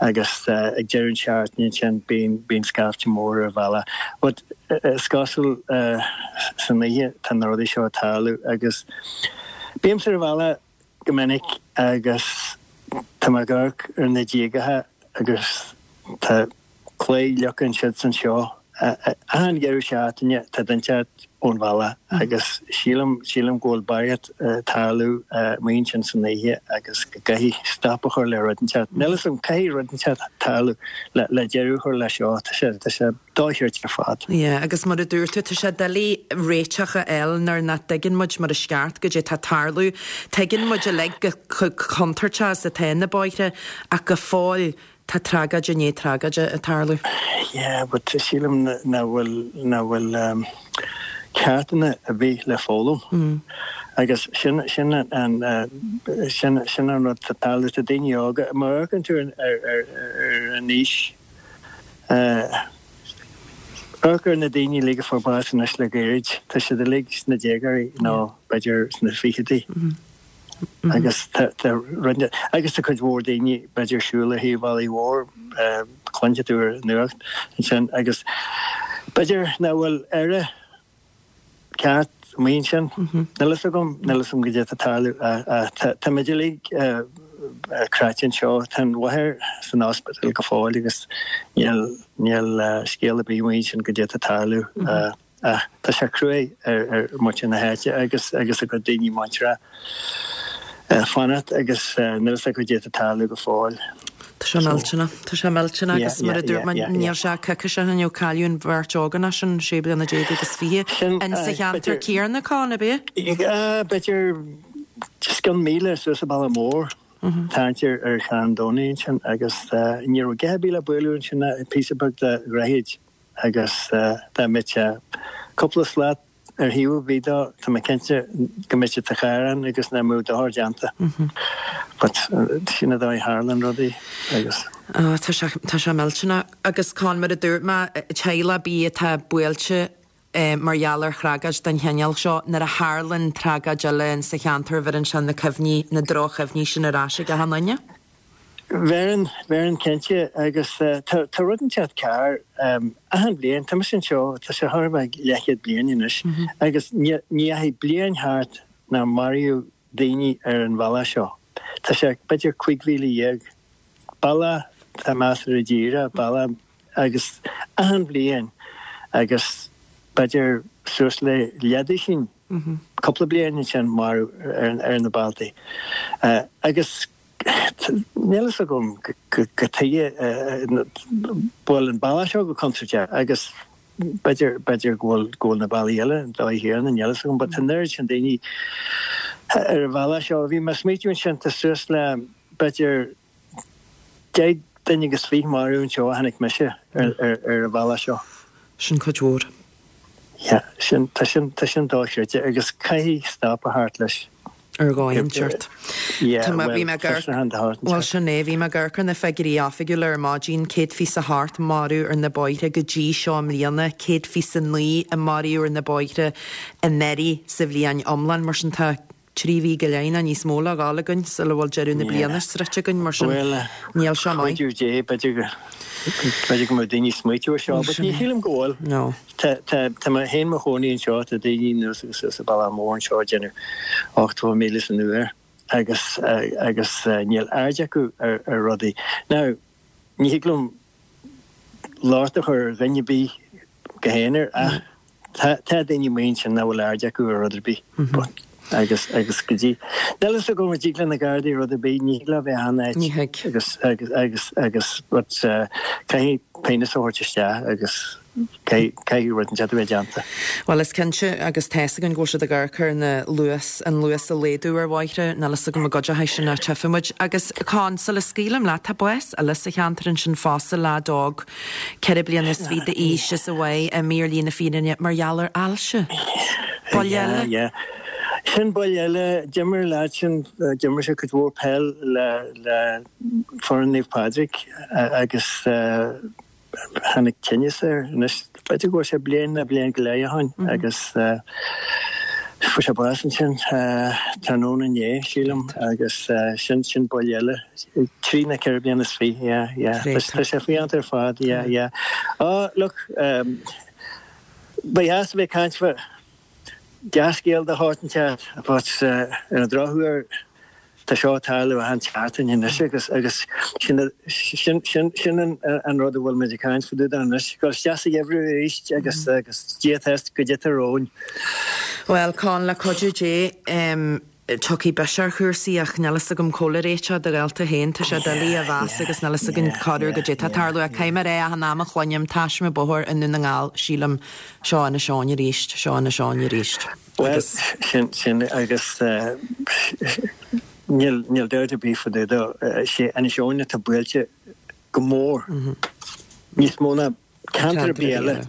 agus ag deireadh an seachtaine ansin bíonn bíonn scaifte mór ar an bhealach. But is cosúil san oíche tá na rudaí seo ag tarlú agus Bímse ar an bhealach go minic agus tá mé ag amharc ar na díogacha agus tá claí fhliuch ansiúd anseo. Achan deireadh seachtaine tá duine inteacht ón bhealach agus sílim, sílim go bhfuil barraíocht ag tarlú amuigh ansin san oíche agus go gcaithfidh stop a chur le rud inteacht. Níl fhios agam, caithfidh rud inteacht tarlú le deireadh a chur leis seo. Tá sé, tá sé. dochreidte ar fad. Yeah, agus mar a dúirt tú, tá sé doiligh réiteach a fháil nuair nach dtuigeann muid mar is ceart goidé tá ag tarlú. Tuigeann muid uilig chomh contúirteach is atá na bóithre ach go fóill tá tragóid i ndiaidh tragóide ag tarlú. Yeah, but sílim nach bhfuil, nach bhfuil ceachtanna ar bith le foghlaim. Agus sin, sin an, sin, sin an rud atá ag tarlú. Tá daoine óga, má amharcann tú ar, ar, ar an aois, Amharc ar na daoine uilig a fuair bás anois le gairid, tá siad uilig sna déagóirí nó b'fhéidir sna fichidí. Agus tá roinnt, agus tá cuid mhór daoine b'fhéidir siúl ar thaobh bealaigh mhóir, cluinfidh tú ar an nuacht ansin agus b'fhéidir nach bhfuil aire ceart amuigh ansin. Níl fhios agam, níl fhios agam goidé atá ag tarlú. Táimid uilig cráite anseo. Tá an mháthair san ospidéal go fóill agus níl, níl scéal ar bith amuigh ansin goidé atá ag tarlú. Ach tá sé cruaidh ar, ar muintir na háite agus, agus a gcuid daoine muinteartha fanacht agus níl fhios acu goidé atá ag tarlú go fóill. Tá sé millteanach. Tá sé millteanach agus mar a dúirt mé, níl sé coicís ó shin ó cailleadh an bheirt ógánach sin, sé bliana déag agus 20, in sa cheantar céanna, Con, ab ea? B'fhéidir scian míle suas an bealach mór. Tarraingt ar Charn Domhnaigh ansin agus ní raibh a dhath ar bith le bualadh ansin ach píosa beag de dhroichead agus dá mbeadh sé cúpla slat ar thaobh ar bith dó, tá mé cinnte go mbeadh sé sa charr ann agus nach mbeadh dochar déanta. But sin an dóigh a tharlaíonn rudaí agus. Tá sé, tá sé millteanach. Agus Con, mar a dúirt mé, teaghlach ar bith atá buailte mar gheall ar thragóid den chineál seo, nuair a tharlaíonn tragóid eile in sa cheantar, bheireann sé na cuimhní, na droch-chuimhní sin ar ais ag achan duine. Bheireann, bheireann cinnte agus tá, tá rud inteacht cearr achan bhliain, tá mise anseo, tá sé chóir a bheith leathchéad bliain anois agus ní, ní dheachaigh bliain thart nár maraíodh daoine ar an bhealach seo. Tá sé b'fhéidir 15,000 bealach atá measartha díreach, bealach agus achan bhliain agus b'fhéidir suas le leathduisín cúpla bliain ansin marbh ar na bealtaí agus Níl fhios agam cad chuige a bhfuil an bealach seo chomh contúirteach agus b'fhéidir, b'fhéidir go bhfuil, go bhfuil na bealaí eile an dóigh chéanna, níl fhios agam, but tá an oiread sin daoine ar an bhealach seo. Bhí mé ag smaoitiú ansin, tá suas le b'fhéidir 10 duine agus 20 marbh anseo ó tháinig mise ar, ar, ar an bhealach seo. Sin cuid mhór. Yeah, sin, tá sin, tá sin dochreidte agus caithfidh stop a theacht leis. Ar dhóigh inteacht. Tá mé, bhí mé ag amharc, bhuel sin é, bhí mé ag amharc ar na figiúirí oifigiúla ar maidin, 128 marbh ar na bóithre go dtí seo i mbliana, 129 a maraíodh ar na bóithre anuraidh sa bhliain iomlán, mar sin tá 3 mhí go leith nó níos mó le dhul againn sula bhfuil deireadh na bliana sroichte againn, mar sin níl sé maith. Cuidiú Dé, b'fhéidir go, b'fhéidir go mbeadh daoine ag smaoitiú ar seo, but ní shílim go bhfuil. No. Tá, tá, tá mé féin mo chónaí anseo, tá daoine anuas agus suas an bealach mór anseo ag déanamh 80,000 san uair agus, agus níl aird acu ar, ar rudaí. Now, ní thig liom locht a chur ar dhuine ar bith go haonair ach tá, tá daoine amuigh ansin nach bhfuil aird acu ar rud ar bith. But, agus, agus go dtí, níl fhios agam an dtig le na Gardaí rud ar bith, ní thig leo bheith achan áit. Ní thig. Agus, agus, agus, agus, but, caithfidh pionós a thabhairt isteach agus Caithfidh rud inteacht a bheith déanta. Bhuel, is cinnte, agus tá's againn go bhfuil siad ag amharc ar na luas, an luas a laghdú ar bhóithre, níl fhios agam an gcuideoidh sin ach tchífidh muid. Agus, Con, sula scaoilim leat, tá bás eile sa cheantar ansin fosta, leaid óg, 24 bliana d'aois is a mhaigh imithe ar shlí na fírinne mar gheall ar ailse. Buille eile. Yeah, yeah. Sin buille eile. D'imir an leaid sin, d'imir sé cuid mhór peil le, le foireann Naomh Pádraig agus, Tháinig tinneas air anois, b'fhéidir go bhfuil sé bliain nó bliain go leith ó shin agus fuair sé bás ansin tráthnóna inné, sílim, agus sin, sin buille eile. 23 nó 24 bliana, yeah, yeah. Tá sé fiánta ar fad, yeah, yeah. Oh, look, ba dheas a bheith ag caint fá dea-scéal de shórt inteacht, but ar an drochuair, Tá seo ag tarlú achan tseachtain anois agus agus sin sin sin sin an an rud a bhfuil muid ag caint fá dtaobh de anois. Dul isteach sa gheimhreadh arís agus agus Dia atá goidé atá romhainn. Bhuel, Con, le cuidiú Dé, tiocfaidh biseach ar chúrsaí ach níl fhios agam cá bhfuil a réiteach do dhalta féin. Tá sé doiligh a mheas agus níl fhios againn corruair goidé atá ag tarlú ach caithfidh mé a rá achan am a chluinim taisme bóthair i nDún na nGall, sílim, seo Inis Eoghain arís, seo Inis Eoghain arís. Bhuel, sin, sin, agus níl, níl dabht ar bith fá dtaobh de, sé Inis Eoghain atá buailte go mór, níos mó ná ceantar ar bith eile.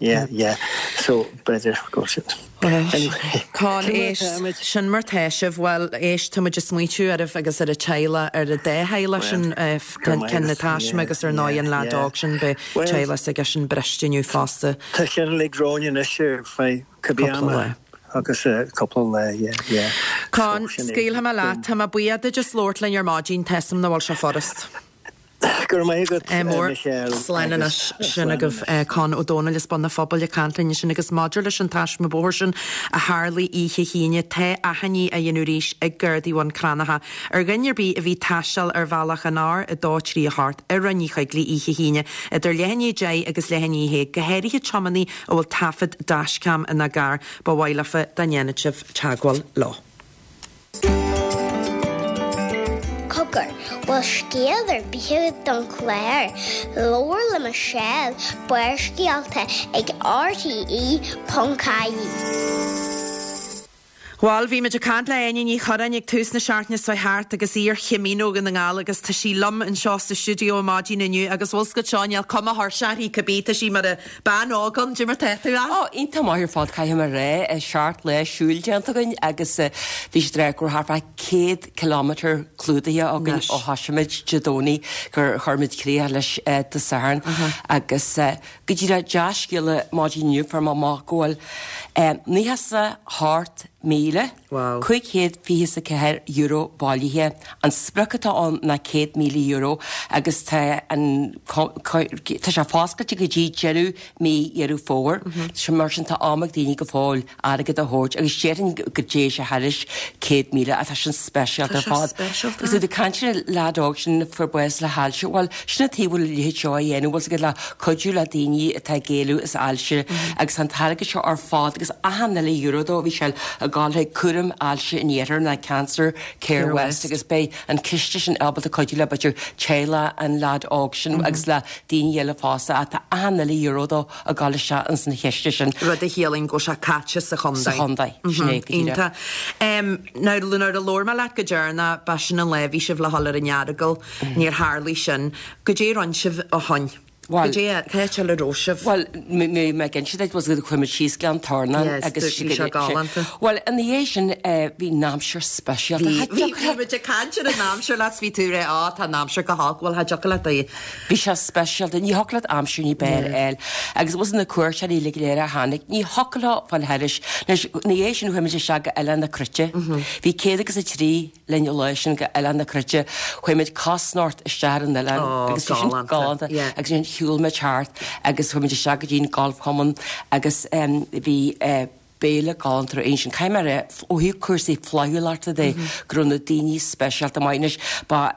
Yeah, yeah. So, b'fhéidir go bhfuil sin. Anyway, Con, éist, sin mar tá sibh, bhuel, éist, tá muid ag smaoitiú oraibh agus ar an teaghlach, ar an dá theaghlach sin, ceann na taisme agus ar ndóigh an leaid óg sin, beidh teaghlach s'aigesean briste inniu fosta. Tá sin uilig romhainn anois ar feadh Cibé ama agus cúpla lá, yeah, yeah. Con, scaoilfidh mé leat. Tá mé buíoch duit as labhairt linn ar maidin, tá 'fhios a'm nach bhfuil sé furast. Go raibh maith agat, Michelle. Slán anois. Sin agaibh Con Ó Dónaill as Bun an Phobail ag caint linn ansin agus maidir leis an taisme bóthair sin a tharlaigh oíche hAoine, tá achainí á dhéanamh arís ag Gardaí Bhun Cranncha ar dhuine ar bith a bhí ag taisteal ar bhealach an R238 i Rinn Uí Choigligh oíche hAoine idir leath i ndiaidh 10 agus leath i ndiaidh 1, go háirithe tiománaí a bhfuil taifead dashcam ina gcarr, ba mhaith leofa dá ndéanfadh sibh teagmháil leo. Cogar, bhfuil scéal ar bith agat don chlár? Labhair le Michelle, Barrscéalta ag rte.ie. Bhuel, bhí muid ag caint le Áine Ní Churráin ag tús na seachtaine seo thart agus í ar Chamino Dhún na nGall agus tá sí liom anseo sa stiúideo ar maidin inniu agus bhfuil 's agat seo, níl cuma thuirseach uirthi cibé, tá sí mar a bean óg ann, cad é mar tá tú Ann? Ó, iontach maith ar fad, caithfidh mé a rá. Seacht lá siúil déanta againn agus bhí siad ag rá go raibh thart fá 100 kilometre clúdaithe againn ó thosaigh muid Dé Domhnaigh gur chuir muid críoch leis Dé Sathairn agus go díreach dea-scéala maidin inniu fuair mé amach go bhfuil €98,524 bailithe. An sprioc atá ann ná €100,000 agus tá an tá sé foscailte go dtí deireadh mí Dheireadh Fómhair. Mar sin tá am ag daoine go fóill airgead a thabhairt agus déarfainn go dté sé thairis 100,000 ach tá sin speisialta ar fad. Agus tú ag caint ar an leaid óg sin a fuair bás le hailse, bhuel, sin an tuige a bhfuil a leithéid seo á dhéanamh, bhfuil 's agat le cuidiú le daoine atá ag éalú as ailse agus tá an t-airgead seo ar fad agus achan uile euro dó bhí sé ag gabháil chuig cúram ailse an iarthair ná Cancer Care West agus beidh an ciste sin ábalta cuidiú le b'fhéidir teaghlach an leaid óg sin agus le daoine eile fosta ach tá achan uile euro dó ag gabháil isteach ins an chiste sin. Rud a chiallaíonn go bhfuil sé caite sa chontae. Sa chontae, sin é go díreach. Iontach. Now, nuair a labhair mé leat go deireanach, ba sin an lá a bhí sibh le dhul ar an Earagail, níor tharlaigh sin. Goidé a rinne sibh ó shoin? Bhuel, Goidé, cá háit eile a raibh sibh? Bhuel, mé ag inse duit, bhuel, chuaigh muid síos Gleann Tornáin Yes, agus bhí sé galánta. Bhuel, ina dhiaidh sin, bhí an aimsir speisialta. Bhí, bhí, bhí muid ag caint ar an aimsir leat, bhí tú ag rá, á, tá an aimsir go holc, bhuel, cha dtiocfadh leat é. Bhí sé speisialta, ní thiocfadh leat aimsir ní b'fhearr a fháil. Agus bhfuil 's agat na cuairteoirí uilig go léir a tháinig, ní thiocfadh leo fáil thairis. Anois, ina dhiaidh sin chuaigh muid isteach go Oileán na Cruite. Bhí 103 linn an lá sin go Oileán na Cruite. Chuaigh muid cosnocht isteach ar an oileán agus bhí sin galánta. Agus ansin shiúil muid thart agus chuaigh muid isteach go dtí an golfchumann agus bhí béile galánta ar ansin. Caithfidh mé a rá, ó thaobh cúrsaí flaithiúlachta de, go raibh na daoine speisialta maith. Anois, ba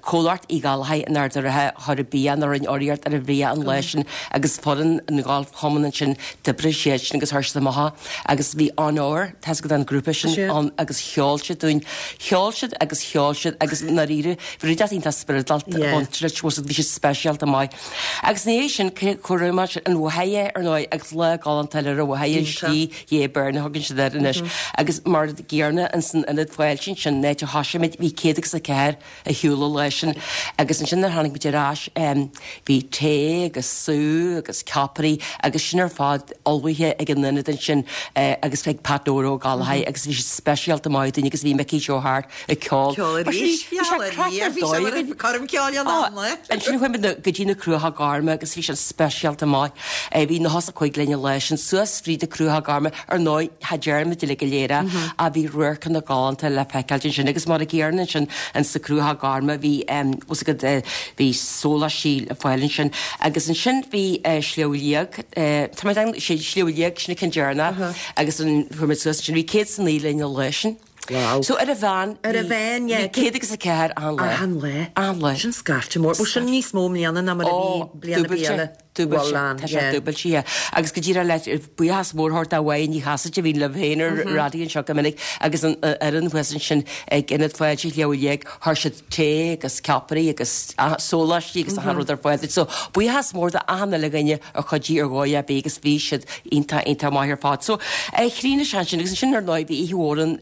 Comhlacht Uí Ghallchóir in Ard an Rátha a chuir an bia nó a rinne urraíocht ar an bhia an lá sin agus foireann an Gholfchumainn ansin, d'oibrigh siad sin agus chuir siad amach agus bhí Onóir, tá's agat an grúpa sin, ann agus cheol siad dúinn. Cheol siad agus cheol siad agus i ndáiríre, bhí rud iontach spioradálta ag baint leis, bhí siad speisialta maith. Agus ina dhiaidh sin, chuaigh muid an Mhachaire, ar ndóigh, agus lá galánta eile ar an Mhachaire, an Slí Dhé Byrne a thugann siad air anois. Agus mar an gcéanna, ins an ionad fáilte ansin, an áit a thosaigh muid, bhí 104 ar shiúl an lá sin. Agus ansin nuair a tháinig muid ar ais, bhí tae agus sú agus ceapairí agus sin ar fad ullmhaithe ag an ionad ansin agus ag Pat Nóra Ó Gallchóir agus bhí siad speisialta maith dúinn agus bhí Mickey Joe Harte ag ceol. Ceol arís. Bhí sé craic ar dóigh againn. Coirm ceoil an am le. Ansin chuaigh muid go dtí na Cruacha Gorma agus bhí sin speisialta maith. Bhí 95 linn an lá sin suas fríd na Cruacha Gorma. Ar ndóigh, cha dtearn muid uilig go léir é ach bhí radharcanna galánta le feiceáilt ansin agus mar an gcéanna ansin ins na Cruacha Gorma bhí bhfuil 's agat bhí sóláistí le fáil ansin agus ansin bhí Sliabh Liag tá mé ag Sliabh Liag sin an ceann deireanach agus an chuaigh muid suas ansin bhí 109 linn an lá sin. Wow. So ar a mheán, Ar a mheán, yeah. bhí 104 achan lá. Achan lá. Achan lá. Sin scaifte mór. Bhuel, sin níos mó i mbliana ná mar a bhí bliain ar bith eile. Dúbailte. Bhuel, an, Tá sé yeah. dúbailte, yeah. Agus go díreach le buíochas mór a thabhairt do Mháire Ní Chasaide a bhíonn libh féin ar raidió anseo go minic agus an fhoireann thuas ansin ag Ionad Fáilte Shliabh Liag, chuir siad tae agus ceapairí agus sóláistí agus achan rud ar fáil duit. So buíochas mór do achan uile dhuine a chuidigh ar dhóigh ar bith agus bhí siad iontach, iontach maith ar fad. So chríochnaigh sé ansin agus ansin ar ndóigh bhí oíche mhór an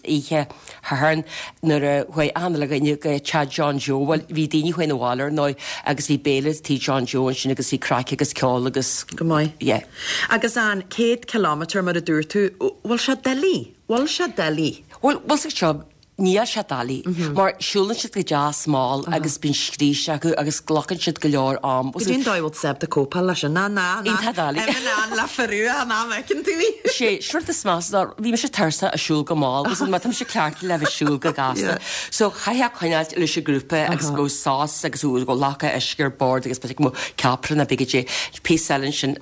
oíche Shathairn nuair a chuaigh achan uile dhuine go teach John Joe. Bhuel bhí daoine chuaigh 'na bhaile ar ndóigh agus bhí béile tí John Joe ansin agus bhí craic agus ceol agus. Go maith. Yeah. Agus an 100 kilometre mar a dúirt tú, bhfuil sé doiligh? Bhfuil sé doiligh? Bhuel, bhfuil 's agat seo, Níl sé doiligh, mar siúlann siad go deas mall agus bíonn scríste acu agus glacann siad go leor am. Goidé an dóigh a bhfuil tú ábalta cóipeáil leis sin? Ná, ná, ná. Iontach doiligh. Im in ann le farú an am a fheiceann tú í. Sé, sin rud is measa ná, bhí mise tuirseach ag siúl go mall, agus má tá mise cleachtaithe le bheith ag siúl go gasta. So chaithfeá coinneáilt leis an grúpa agus go mbeadh sos agus go raibh glaca uisce ar bord agus b'fhéidir go mbeadh ceapaire nó b'fhéidir goidé, píosa eile ansin.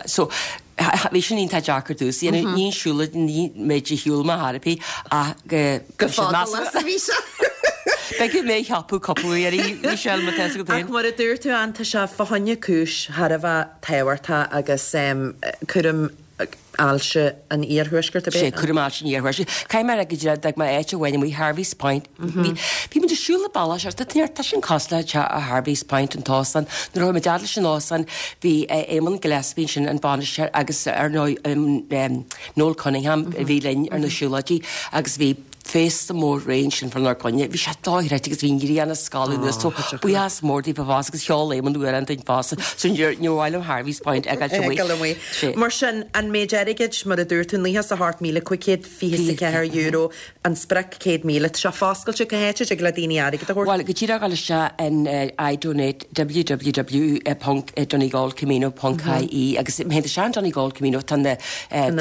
So, Bhí sin iontach deacair domhsa a dhéanamh, ní an siúlóid, ní méid a shiúil mé ar bith ach go. Go fada leis a bhí sé. Beidh mé ag ceapadh cúpla uair, Michelle, má tá fhios agat féin. Ach mar a dúirt tú, Ann, tá sé fá choinne cúis thar a bheith tábhachtach agus cúram. Ailse an Iarthuaiscirt, ab é? Sé, cúram Ailse an Iarthuaiscirt. Caithfidh mé a rá go díreach, d'fhág mé áit amháin amuigh, Harvey's Point. Bhí, bhí muid ag siúl an bealach seo, tá sin cosúil le teach Harvey's Point, an t-óstán. Nuair a chuaigh muid fhad leis an óstán, bhí Éamonn Gillespie ansin, an bainisteoir, agus ar ndóigh Noel Cunningham a bhí linn ar na siúlóidí agus bhí féasta mór réidh ansin fánár gcoinne. Bhí sé dochreidte agus bhí an ghrian ag scalladh anuas so buíochas mór daofa fosta agus cheol Éamonn amhrán dúinn fosta so níor mhaith liom Harvey's Point a fhágáilt amuigh. Fhágáil amuigh. Mar sin, an méid airgid, mar a dúirt tú, €98,524, an sprioc 100,000, tá sé foscailte cá háit a dtig le daoine airgead a thabhairt? Bhuel, go díreach dul isteach in iDonate www.donegalcamino.ie agus má théann tú isteach in Donegal Camino tá na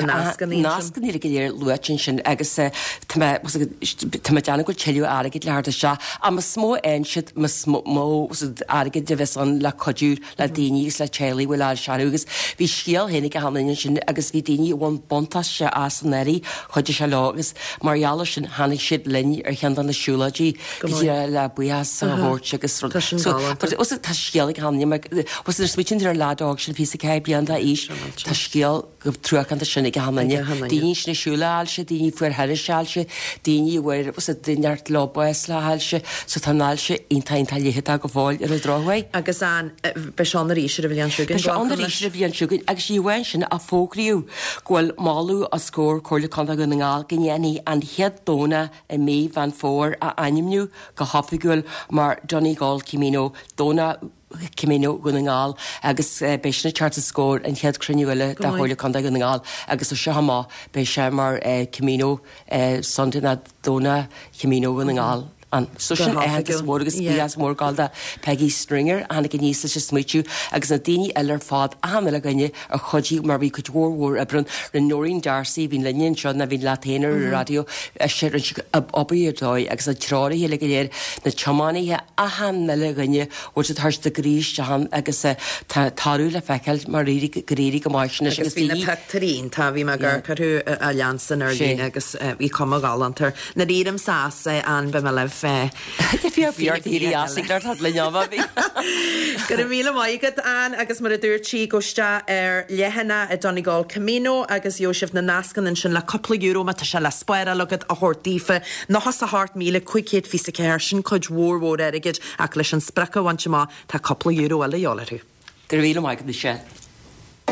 nascanna go léir luaite ansin agus tá mé tá mé ag déanamh go bhfuil tuilleadh airgid le theacht isteach. Ach más mó a fhaigheann siad más mó airgid a bheas ann le cuidiú le daoine agus le teaghlaigh a bhfuil ailse orthu agus bhí scéal féin ag achan duine ansin agus bhí daoine a bhain buntáiste as an earraí, chuidigh sé leo agus mar gheall air sin tháinig siad linn ar cheann de na siúlóidí go díreach le buíochas a thabhairt agus rud. Tá sin galánta. Tá scéal ag achan duine mar nuair a smaoitíonn tú ar an leaid óg sin 24 bliain d'aois, tá scéal chomh truacánta sin ag achan duine. Daoine sin ag siúl le hailse, daoine a fuair thairis ailse, daoine a bhfuair neart leo bás le hailse, so tá an ailse iontach iontach leitheadach go fóill ar an drochuair. Agus an, beidh sé ann arís ar an bhliain seo chugainn, Beidh sé ann arís ar an bhliain seo chugainn agus ní amháin sin ach fógraíodh go bhfuil moladh os comhair Comhairle Contae Dhún na nGall go ndéanfaí an chéad Domhnach i mí Mheán Fómhair a ainmniú go hoifigiúil mar Donegal Camino, Domhnach Camino Dhún na nGall agus beidh sin ag teacht os comhair an chéad chruinniú eile de Chomhairle Contae Dhún na nGall agus ó seo amach beidh sé mar Camino Sunday ná Domhnach Camino Dhún na nGall ann. So sin aitheantas mór agus buíochas mór ag gabháil do Peggy Stringer a tháinig aníos leis an smaoitiú agus na daoine eile ar fad, achan uile dhuine a chuidigh mar bhí cuid mhór mhór oibre ann. Rinne Noreen D'Arcy, a bhíonn linne anseo ná bhíonn leat féin ar an raidió, ise, rinne sí obair ar dóigh agus na treoraithe uilig go léir, na tiománaithe, achan uile dhuine, bhfuil siad ag tabhairt a gcroí isteach ann agus tá toradh le feiceáil mar éirigh, gur éirigh go maith sin leis Agus bhí na pictiúirí iontach, bhí mé ag amharc orthu a leansan ar líne agus bhí cuma ghalánta air. Nuair a éirímse as, Ann, beidh mé libh. Go raibh míle maith agat, Ann, agus mar a dúirt sí, gabh isteach ar leathanach i Donegal Camino agus gheobhaidh sibh na nascanna ansin le cúpla euro má tá sé le spáráil agat a thabhairt daofa. 98,524, sin cuid mhór mhór airgid ach leis an sprioc a bhaint amach tá cúpla euro eile a dhíobháil orthu. Go raibh míle maith agat, Michelle.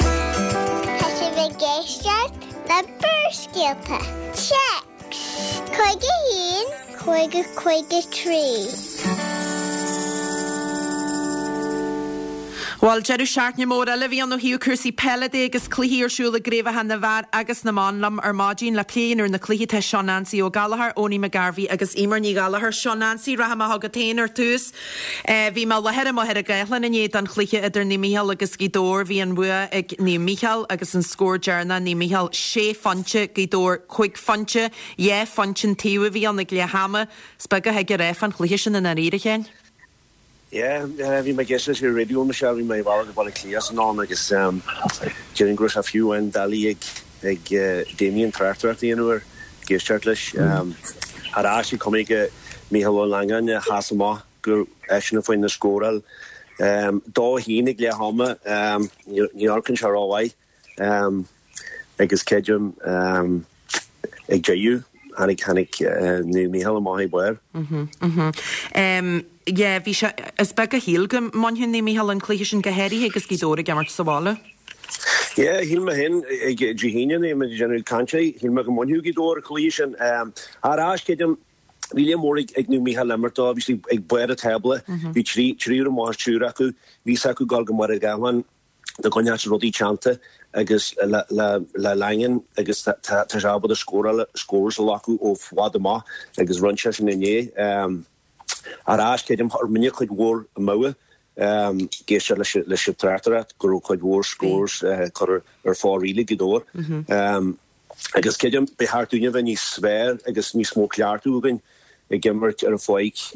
Tá sibh ag éisteacht le Barrscéalta. Téacs 51 50 53. Bhuel, deireadh seachtaine mór eile a bhí ann ó thaobh cúrsaí peile de agus cluichí ar siúl i gcraobhacha na bhfear agus na mban. Liom ar maidin le plé a dhéanamh ar na cluichí tá Seán Ansaí Ó Gallchóir, Owenie McGarvey agus Eimear Ní Ghallchóir. Seán Ansaí, rath amach agat féin ar tús. Bhí mé i láthair i Machaire Gathlán inné don chluiche idir Naomh Mícheál agus Gaoth Dobhair. Bhí an bhua ag Naomh Mícheál agus an scór deireanach Naomh Mícheál sé phointe, Gaoth Dobhair cúig phointe. Dhá phointe an taobh a bhí ann ag leath ama. Is beag a thig a rá fán chluiche sin i ndáiríre, a Sheáin. Yeah, bhí mé ag éisteacht leis ar an raidió Michelle, bhí mé ar mo bhealach go Baile Átha Cliath san am agus déarfainn go raibh sé fiú amháin doiligh ag ag Damien tráchtaireacht a dhéanamh air, ag éisteacht leis. Ar ais ag cuma ag Mícheál Ó Langáin a sheas amach gur eisean a fuair na scóráil. 2-1 ag leath ama, ní amharcann sé rómhaith. Agus creidim ag deireadh, tháinig, tháinig Naomh Mícheál amach ag barr. Yeah, bhí sé, is beag a shíl go mbainfeadh Naomh Mícheál an cluiche sin, go háirithe agus Gaoth Dobhair ag imirt sa bhaile. Yeah, shíl mé féin ag Dé hAoine nuair a bhí muid ag déanamh cainte, shíl mé go mbainfeadh Gaoth Dobhair an cluiche sin. Ar ais, creidim, bhí lear mór ag Naomh Mícheál imirt dó, bhí siad ag barr an tábla, bhí triúr amach as triúr acu, bhí a fhios acu dul go Machaire Gathlán. dá gcoinneodh siad rudaí teannta agus le Langan agus tá sé ábalta scóráil, scores a ghlacadh ó bhfad amach agus rinne sé sin inné. Ar ais, creidim, rinne cuid mhór amú ag éisteacht leis an tráchtaireacht go raibh cuid mhór scores curtha ar fóraoil ag Gaoth Dobhair. Agus creidim, ba cheart dúinne a bheith níos fearr agus níos mó cleachtadh againn ag imirt ar an pháirc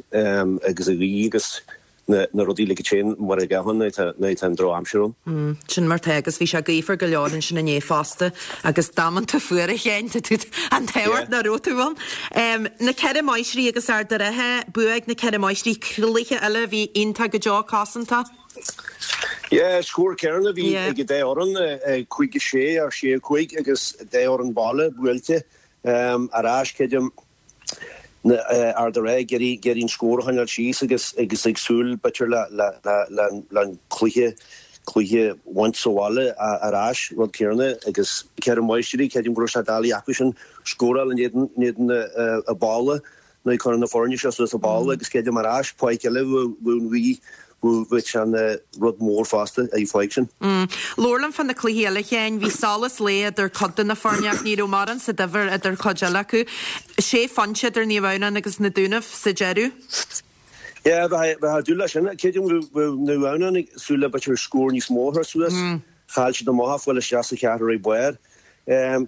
agus an ghaoth agus na rudaí uilig a téann mar a ghabhann nuair atá an drochaimsir ann. Sin mar tá agus bhí sé gaofar go leor ansin inné fosta agus damanta fuar a Sheáin, tá tú an t-ádh ort nach raibh tú ann. Na Ceithre Máistrí agus Ard a' Rátha, bua ag na Ceithre Máistrí, cluiche eile a bhí iontach go deo cosanta. Yeah, scór céanna a bhí ag an dá fhoireann, 5-6 ar 6-5 agus dá fhoireann baile buailte ar ais, creidim, Ard an Rátha ag iarraidh an scór a choinneáil síos agus agus ag súil b'fhéidir le an cluiche cluiche a bhaint sa bhaile ar ais, rud céanna agus Ceithre Máistrí, creidim go raibh sé doiligh acu sin scóráil in éadan in éadan a balla. Nuair a cuireadh na foirne seo suas an balla agus creidim ar ais, páirc eile bheadh bhí bheadh sé ina rud mór fosta ar an pháirc sin. Labhair liom fá na cluichí eile, a Sheáin. Bhí solas lae idir cuid de na foirne ach ní raibh mórán sa difear idir cuid eile acu. Sé phointe idir Naomh Adhamhnáin agus na Dúnaibh sa deireadh. Yeah, bheadh ag dúil leis sin. Creidim go raibh Naomh Adhamhnáin ag súil le b'fhéidir scór níos mó a chur suas. Chaill siad amach ach fáil isteach sa cheathrú ar barr.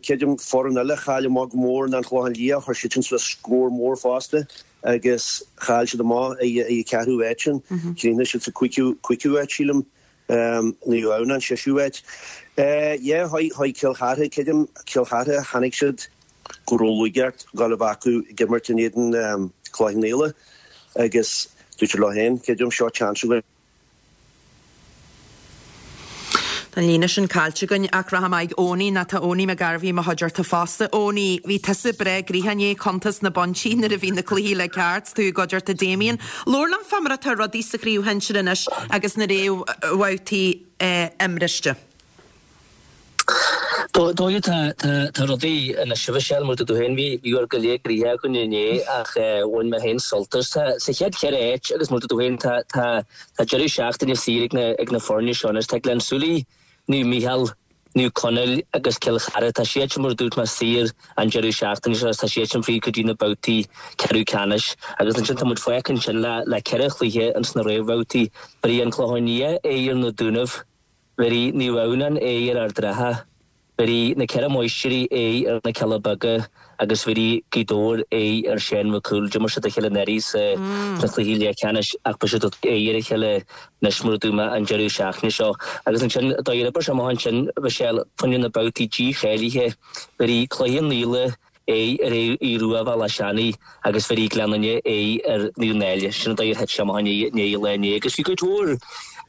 Creidim foireann eile a chaill amach go mór ná an Clochán Liath, chuir siad sin suas scór mór fosta agus chaill siad amach ag an cheathrú áit sin. Chríochnaigh siad sa cúigiú áit sílim, Naomh Adhamhnáin séú áit. Yeah, chuaigh Cill Chartha, creidim Cill Chartha, chonaic siad go raibh lúcháir gabháil a bheith acu ag imirt in éadan Chloich Cheann Fhaola agus dúirt siad leo féin, creidim, seo chance againn. Tá an líne sin caillte againn ach rachaidh mé ag Owenie nó tá Owenie McGarvey i mo chuideachta fosta. Owenie, bhí tusa breá gnoitheach inné ag cuntas na bpointí nuair a bhí na cluichí le ceart, tú i gcuideachta Damien. Labhair liom fá mar atá rudaí sa chraobh shinsir anois agus na réamhbhabhtaí imriste. Dóigh tá rudaí anois a Mhichelle, mar a dúirt tú féin, bhí bhí go leor gnoithe againn inné ach bhain mé féin sult as. Tá sa chéad cheithre áit agus mar a dúirt tú féin tá tá tá deireadh seachtaine saor ag na ag na foirne seo anois. Tá Gleann tSúilí, Naomh Mícheál, Naomh Conaill agus Cill Chartha, tá siad sin mar a dúirt mé saor an deireadh seachtaine seo agus tá siad sin fríd go dtí na babhtaí ceathrú ceannais agus ansin tá muid fágtha ansin le le ceithre chluiche ins na réamhbhabhtaí. Bheir an Clochán Liath aghaidh ar na Dúnaibh. Bhéarfaidh Naomh Adhamhnáin aghaidh ar Ard an Rátha, bhéarfaidh na Ceithre Máistrí aghaidh ar na Cealla Beaga agus bhéarfaidh Gaoth Dobhair aghaidh ar Seán Mac Cumhaill. D'imir siad a chéile anuraidh sna cluichí leathcheannais ach beidh siad ag tabhairt aghaidh ar a chéile anois mar a dúirt mé an deireadh seachtaine seo. Agus ansin, dá dh'oibir sé amach ansin, Mhichelle, fá choinne na babhtaí dícháilithe, bhéarfaidh Cloich Cheann Fhaola aghaidh ar Aodh Rua Bhealach Seanaidh agus bhéarfaidh Gleann Fhinne aghaidh ar Naomh Náille. Sin an dóigh ar thit sé amach inné an lá inné agus bhí cuid mhór,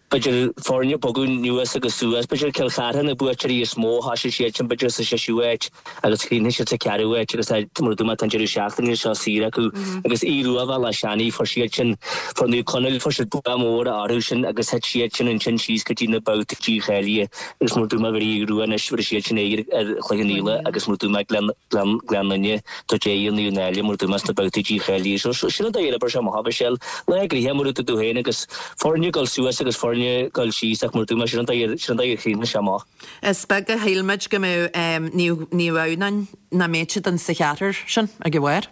b'fhéidir, foirne ag bogadh anuas agus suas. B'fhéidir Cill Chartha na buaiteoirí is mó, thoisigh siad sin b'fhéidir sa seisiú háit agus chríochnaigh siad sa cheathrú háit agus tá, mar a dúirt mé, tá an deireadh seachtaine seo saor acu agus Aodh Rua Bhealach Seanaidh, fuair siad sin, fuair Naomh Conaill, fuair siad bua mór orthu sin agus thit siad sin ansin síos go dtí na babhtaí dícháilithe. Agus mar a dúirt mé bhéarfaidh Aodh Rua anois, bhéarfaidh siad sin aghaidh ar Chloich Cheann Fhaola agus mar a dúirt mé Gleann, Gleann, Gleann Fhinne, tabhairt aghaidh ar Naomh Náille mar a dúirt mé sna babhtaí dícháilithe. So, so, sin an dóigh ar oibir sé amach, Michelle. Lá gnoitheach mar a dúirt tú féin agus foirne ag dul suas agus foirne ag dul síos ach mar a dúirt mé sin an dóigh ar, sin an dóigh ar chríochnaigh sé amach. Is beag a shíl muid go mbeadh Naomh, Naomh Adhamhnáin, nach mbeadh siad in sa cheathrar sin ag an bharr.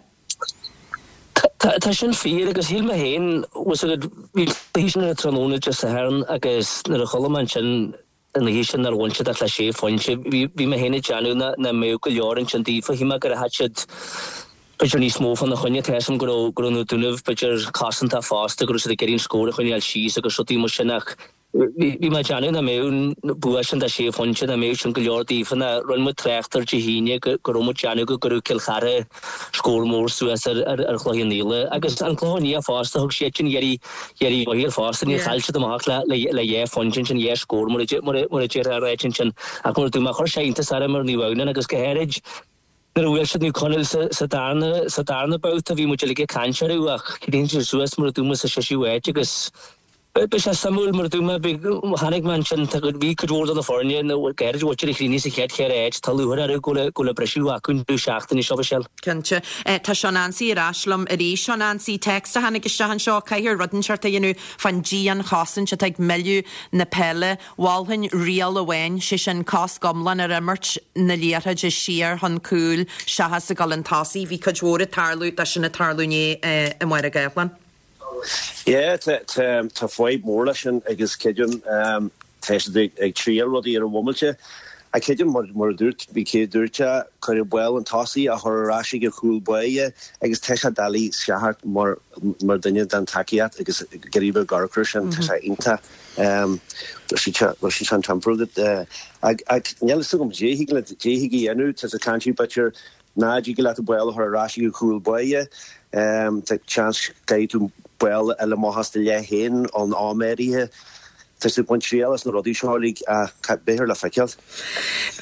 Tá sin fíor agus shíl mé féin, bhfuil 's agat, bhí an cluiche sin ar an tráthnóna Dé Sathairn agus nuair a chuala mé ansin an oíche sin nár bhain siad ach le sé phointe, bhí bhí mé féin ag déanamh nach nach mbeadh go leor ansin daofa. Shíl mé gur thit siad b'fhéidir níos mó fána choinne. Tá 'fhios a'm go raibh go raibh na Dúnaibh b'fhéidir cosantach fosta, go raibh siad ag iarraidh an scór a choinneáil síos agus rudaí mar sin ach Bhí mé ag déanamh nach mbeadh an bua sin de sé phointe, nach mbeadh sin go leor daofa. Nó rinne muid trácht air Dé hAoine go raibh muid ag déanamh go gcuirfeadh Cill Chartha scór mór suas ar Chloich Cheann Fhaola. Agus an Clochán Liath fosta, thug siad sin iarraidh mhaith air fosta. Níor chaill siad amach le dhá phointe ansin, dhá scór mar a déarfá a ráit ansin. Ach mar a dúirt mé, chuir sé iontas orm ar Naomh Adhamhnáin agus go háirid nuair a bhuail siad Naomh Conaill sa darna sa darna babhta, bhí muid uilig ag caint orthu ach chríochnaigh siad suas mar a dúirt mé sa seisiú háit agus Beidh sé suimiúil, mar a dúirt mé, chonaic mé ansin, bhí cuid mhór de na foirne, go háirid a chríochnaigh sa chéad cheithre áit, tá lúcháir orthu go bhfuil an briseadh acu an deireadh seachtaine seo, Michelle. Cinnte. Tá Seán Ansaí ar ais liom arís. Seán Ansaí, téacs a tháinig isteach anseo, caithfear rud inteacht a dhéanamh fán dianchosaint atá ag milleadh na peile. Mholfainn riail amháin, sé sin cosc iomlán ar imirt na liathróide siar chun cúil seachas ag dul chun tosaigh. Bhí cuid mhór ag tarlú de sin ag tarlú inné i Máire Gathlán. Yeah, tá fadhb mór leis sin agus creidim tá siad ag triail rudaí ar an bhomaite. Ach creidim mar a dúirt, bhí cé a dúirt é, cuireadh ball chun tosaigh a chur ar ais ag an chúl báire agus tá sé doiligh seachaint mar mar duine den tacaíocht agus ag iarraidh bheith ag amharc air sin, tá sé iontach bhfuil sé an timpeall ach níl fhios agam dé thig le dé thig a dhéanamh, tá sé caint b'fhéidir Ná dtig leat an ball a chur ar ais ag an chúl báire. Tá seans go gcaithfidh tú ball a fháil amach as do leath féin ón am áirithe. Tá siad ag baint triail as na rudaí seo uilig ach beifear le feiceáil.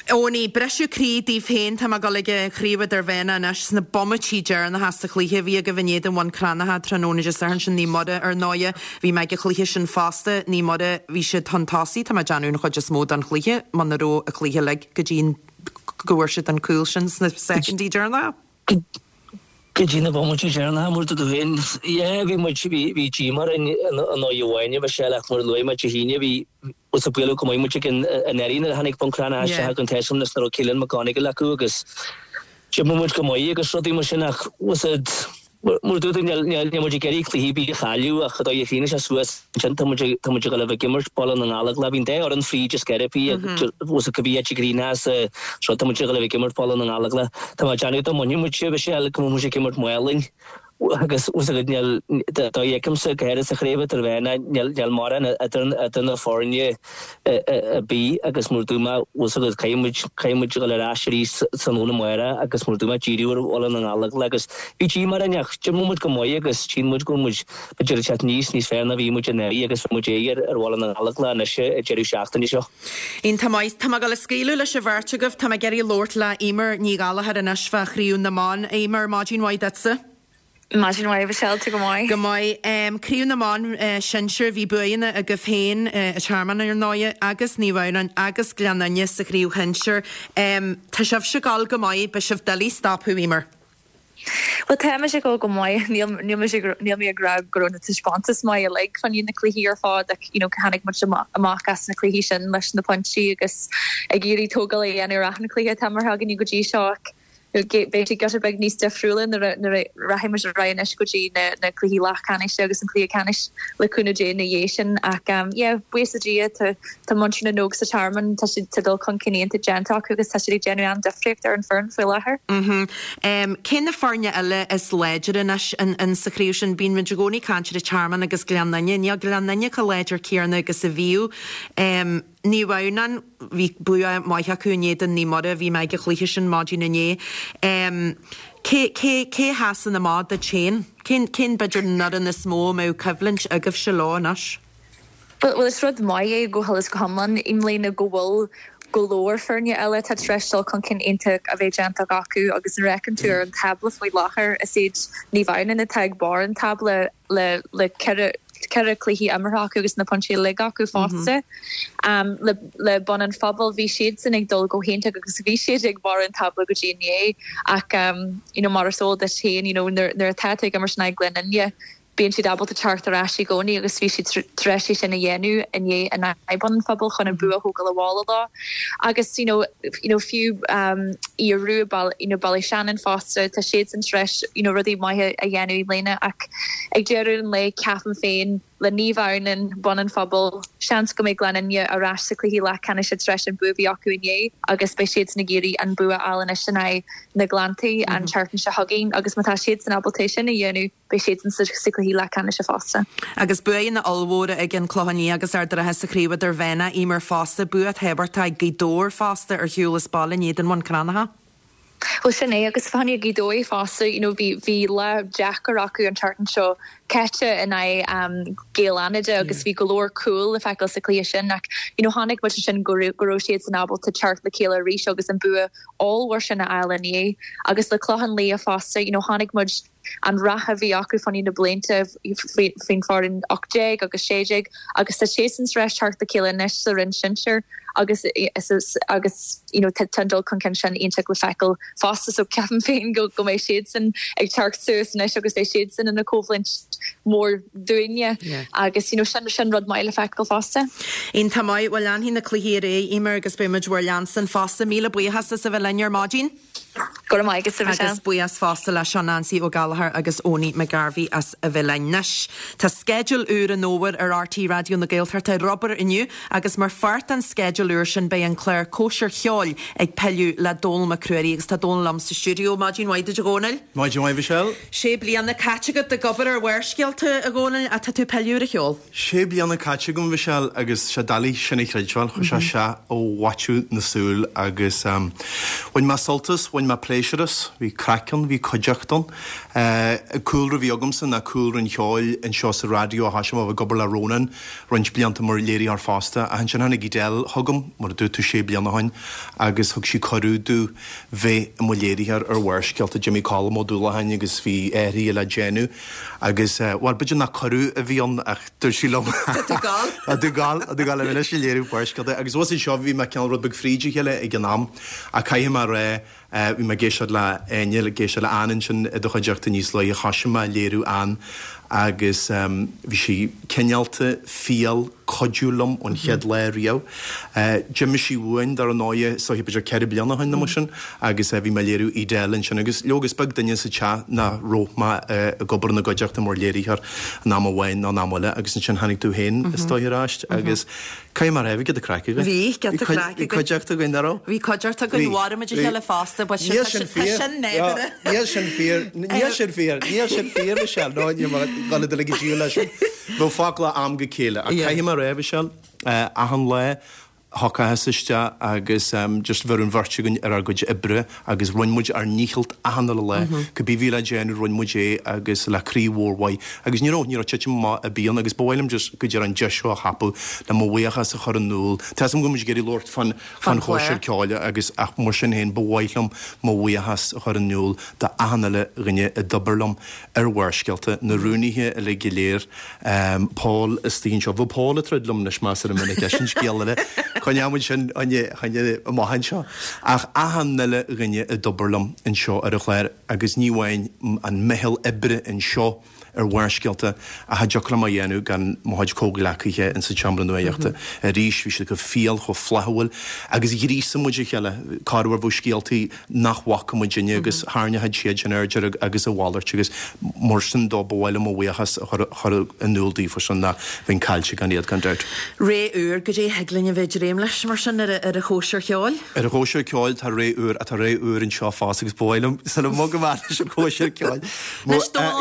Owenie, briseadh croí daoibh féin, tá mé ag dul ag an chraobh idirmheánach anois, sna bomaití deireanacha sa chluiche a bhí agaibh in éadan Bhun Cranncha tráthnóna Dé Sathairn sin, Naomh Muire ar ndóighe. Bhí mé ag an chluiche sin fosta, Naomh Muire, bhí siad chun tosaigh, tá mé ag déanamh an chuid is mó den chluiche, muna raibh an cluiche uilig go dtí go bhfuair siad an cúl sin sna soicindí deireanacha. Go dtí na bomaití deireanacha, mar a dúirt tú féin, yeah, bhí muid, bhí, bhí díomá orainn i ndóigh amháin, a Mhichelle, ach mar a luaigh mé Dé hAoine, bhí, bhuel, sa bualadh go maith muid ag an, anuraidh nuair a tháinig Bun Cranncha isteach ag an tSeisiún is nuair a raibh Keelan McGonigal acu agus d'imir muid go maith agus rudaí mar sin ach, bhfuil a fhios a'd, Mar a dúirt tú, níl muid ag iarraidh cluiche ar bith a chailleadh ach an dóigh a chríochnaigh sé suas ansin, tá muid tá muid ag dul a bheith ag imirt Baile na nGallóglach. Bhí an dá fhoireann fríd is sceiripí bhfuil a fhios a'd cibé áit a gcríochnódh sa sruth, tá muid ag dul a bheith ag imirt Baile na nGallóglach. Tá mé ag déanamh dá mbainfeadh muid, Michelle, go mbeadh muid ag imirt Maolainn agus bhfuil a fhios agat níl, dá fheicimse go háirithe sa chraobh idirmheánach, níl níl mórán idir idir na foirne. ar bith agus mar a dúirt mé, bhfuil a fhios agat, caithfidh muid, caithfidh muid a dhul ar ais arís tráthnóna amárach agus mar a dúirt mé, díriú ar Bhaile na nGallóglach agus bhí díomá orainn ach d'imir muid go maith agus tchíonn muid go bhfuil muid b'fhéidir ag teacht níos, níos fearr ná bhí muid anuraidh agus bheidh muid ag ar Bhaile na nGallóglach anois an deireadh seachtaine seo. Iontach maith. Tá mé ag dul a scaoileadh leis an bheirt agaibh. Tá mé ag iarraidh labhairt le Eimear Ní Ghallchóir anois fá Chraobh na mBan. Eimear, maidin mhaith duitse. Maidin mhaith, Michelle, tú go maith? Go maith. Craobh na mBan Sinsir, bhí buanna agaibh féin, an Tearmann ar ndóighe, agus Naomh Adhamhnáin agus Gleann Fhinne sa chraobh shinsir. Tá sibhse ag dul go maith, beidh sibh doiligh stopadh, Eimear. Bhuel, tá muid ag dul go maith. Níl, níl mise, níl mé ag rá go raibh na taispeántais maith uilig fá choinne na cluichí ar fad ach, you know, tháinig muid amach as na cluichí sin leis na pointí agus ag iarraidh tógáil a dhéanamh ar achan chluiche atá imeartha againne go dtí seo ach, Beidh sé giota beag níos difriúla nuair a rachaidh muid ar aghaidh anois go dtí na cluichí leathcheannais agus an cluiche ceannais le cúnamh Dé ina dhiaidh sin. Ach yeah, buíochas le Dia, tá muintir na n-óg sa Tearmann, tá siad, tá dul chun cinn iontach déanta acu agus tá siad ag déanamh an-difríocht ar an foireann faoi láthair. Cé na foirne eile is láidre anois in sa chraobh sin? Bíonn muid i gcónaí ag caint ar an Tearmann agus Gleann Fhinne. Níl Gleann Fhinne chomh láidir céanna agus a bhíodh. Naomh Adhamhnáin, bhí bua maith acu in éadan Naomh Muire, bhí mé ag an chluiche sin maidin inné. Cé, cé, cé a sheasann amach duit féin? Cén, cén b'fhéidir an fhoireann is mó a mbeadh coimhlint agaibhse leo anois? Bhuel, is rud maith é go huile is go hiomlán i mbliana go bhfuil go leor foirne eile atá tar éis dul chun cinn iontach a bheith déanta acu agus nuair a fheiceann tú ar an tábla faoi láthair is iad Naomh Adhamhnáin atá ag barr an tábla le le 4 cluiche imeartha acu agus na pointí uilig acu fosta. Le le Bun an Phobail bhí siadsan ag dul go hiontach agus bhí siad ag barr an tábla go dtí inné ach you know mar is eol duit féin you know nuair nuair atá tú ag imirt in aghaidh Gleann Fhinne bíonn siad ábalta teacht ar ais i gcónaí agus bhí siad tar éis é sin a dhéanamh inné in aghaidh Bun an Phobail chun an bua a thógáil abhaile leo agus you know you know fiú Aodh Rua you know Ballyshannon fosta tá siadsan tar éis you know rudaí maithe a dhéanamh i mbliana ach ag deireadh an lae ceapaim féin le Naomh Adhamhnáin, Bun an Phobail, seans go mbeidh Gleann Fhinne ar ais sa chluiche leathcheannais tar éis an bua a bhí acu inné agus beidh siadsan ag iarraidh an bua a fháil anois in aghaidh na Gleanntaí an tseachtain seo chugainn agus má tá siadsan ábalta é sin a dhéanamh beidh siadsan sa chluiche leathcheannais fosta. Agus buanna ollmhóra ag an Clochán Liath agus Ard an Rátha sa chraobh idirmheánach, Eimear fosta, bua tábhachtach ag Gaoth Dobhair fosta ar shiúl as baile in éadan Bhun Cranncha. Bhuel sin é agus fá choinne Gaoth Dobhair fosta, you know bhí bhí lá deacair acu an tseachtain seo caite in aghaidh Gaeil Fhánada agus bhí go leor cúl le feiceáil sa chluiche sin ach you know chonaic muid ansin go raibh go raibh siadsan ábalta teacht le chéile arís agus an bua ollmhór sin a fháil inné agus le Clochán Liath fosta you know chonaic muid an rath a bhí acu fá choinne na blianta faoin foireann 18 agus 16 agus tá siadsan tar éis teacht le chéile anois sa roinn sinsir agus agus you know tá an dul chun cinn sin iontach le feiceáil fosta so ceapaim féin go go mbeidh siadsan ag teacht suas anois agus beidh siadsan ina coimhlint mór dúinne agus you know sin sin rud maith le feiceáil fosta. Iontach maith, bhuel leanfaidh na cluichí ar aghaidh, Eimear agus beidh muid bhur leanstan fosta. Míle buíochas as a bheith linn ar maidin. Go raibh maith agat, a Mhichelle. Agus buíochas fosta leis Neansaí Ó Gallchóir agus Owenie McGarvey as a bheith linn. Anois, tá sceideal úr an fhómhair ar RTÉ Raidió na Gaeltachta ar obair inniu agus mar pháirt den sceideal úr sin beidh an clár Cóisir Cheoil ag pilleadh le Dónall Mac Ruairí agus tá Dónall liom sa stiúideo. Maidin mhaith duit a Dhónaill. Maidin mhaith Mhichelle. Sé bliana caite agat ag obair ar Bharrscéalta, a Dhónaill, ach tá tú ag pilleadh ar an cheol. Sé bliana caite agam, a Mhichelle, agus sé doiligh sin a chreidbheáil. Chuir sé isteach ó mhaiteadh na súl agus bhain mé sult as, bhain mé pléisiúr. pléisiúr as. Bhí craic ann, bhí cuideachta ann. An cúlra a bhí agamsa ná cúlra an cheoil anseo sa raidió. Thoisigh mé a bheith ag obair le Rónán roinnt blianta mar léiritheoir fosta. Ach ansin tháinig Edel chugam, mar a dúirt tú, sé bliana ó shin agus thug sí cuireadh domh bheith i mo léiritheoir ar Bharrscéalta. D'imigh Colm Ó Dúlacháin agus bhí athruithe le déanamh agus, bhuel, b'fhéidir nach cuireadh a bhí ann ach dúirt sí liom Tá tú ag Tá tú ag gabháil, tá tú ag gabháil anois ag léiriú Barrscéalta agus bhus anseo bhí mé cineál rud beag fríd a chéile ag an am ach caithfidh mé a rá, bhí mé ag éisteacht le Áine, ag éisteacht le Ann ansin i do chuideachta níos luaithe, thoisigh mé ag léiriú Ann agus bhí sí cineálta, fial, cuidiú liom ón chéad lá riamh. D'imigh sí uainn, dar ndóighe, is dóiche b'fhéidir 4 bliana ó shin nó mar sin agus bhí mé ag léiriú Edel ansin agus leoga is beag duine sa teach nach raibh mé ag obair ina gcuideachta mar léiritheoir in am amháin nó in am eile agus ansin tháinig tú féin is dóiche ar ais agus caithfidh mé a rá bhí giota craic againn. Bhí giota craic againn. Bhí cuideachta againn, nach raibh? Bhí cuideachta againn, mharaigh muid a chéile fosta, but sin, tá sin nádúrtha. Níl sin fíor, níl sin fíor, níl sin fíor, Michelle, nó níl mé ag dul a dul ag an díol leis sin. Bheadh focla am go chéile. Ach caithfidh mé a rá, Michelle, achan lá, thiocfadh isteach agus just bheadh an bheirt againn ar ár gcuid oibre agus rinne muid ár ndícheall achan uile lá. Cibé a bhí le déanamh rinne muid é agus le croí mhór mhaith. Agus ní raibh, ní raibh titim amach ar bith ann agus ba mhaith liom just go díreach an deis seo a thapú le mo bhuíochas a chur in iúl. Tá 'fhios agam go bhfuil muid ag iarraidh labhairt fán, fán chóisir ceoil agus ach mar sin féin ba mhaith liom mo bhuíochas a chur in iúl d'achan uile dhuine a d'oibir liom ar Bharrscéalta, na rúnaithe uilig go léir, Paul istigh anseo. Bheadh Paul ag troid liom anois measartha minic, é sin scéal eile. Coinneoidh muid sin choinne amach anseo. Ach achan uile dhuine a d'oibir liom anseo ar an chlár agus ní amháin an meitheal oibre anseo ar Bharrscéalta ach cha dtiocfadh liom a dhéanamh gan mo chuid comhghleacaithe insa tseomra nuachta. Arís, bhí siad chomh fial, chomh flaithiúil agus ghríosaigh muid a chéile. Corruair bheadh scéaltaí nach bhfaca muidinne agus tharraingeodh siad sin aird air agus a mhalairt agus mar sin dó ba mhaith liom mo bhuíochas a chur in iúl daofa sin ná bheinn caillte gan iad gan dabht. Ré úr, goidé a thig linn a bheith ag dréim leis mar sin ar an chóisir cheoil? Ar an chóisir ceoil tá ré úr ach tá ré úr anseo fosta agus ba mhaith liom sula mbogfaidh mé leis an chóisir ceoil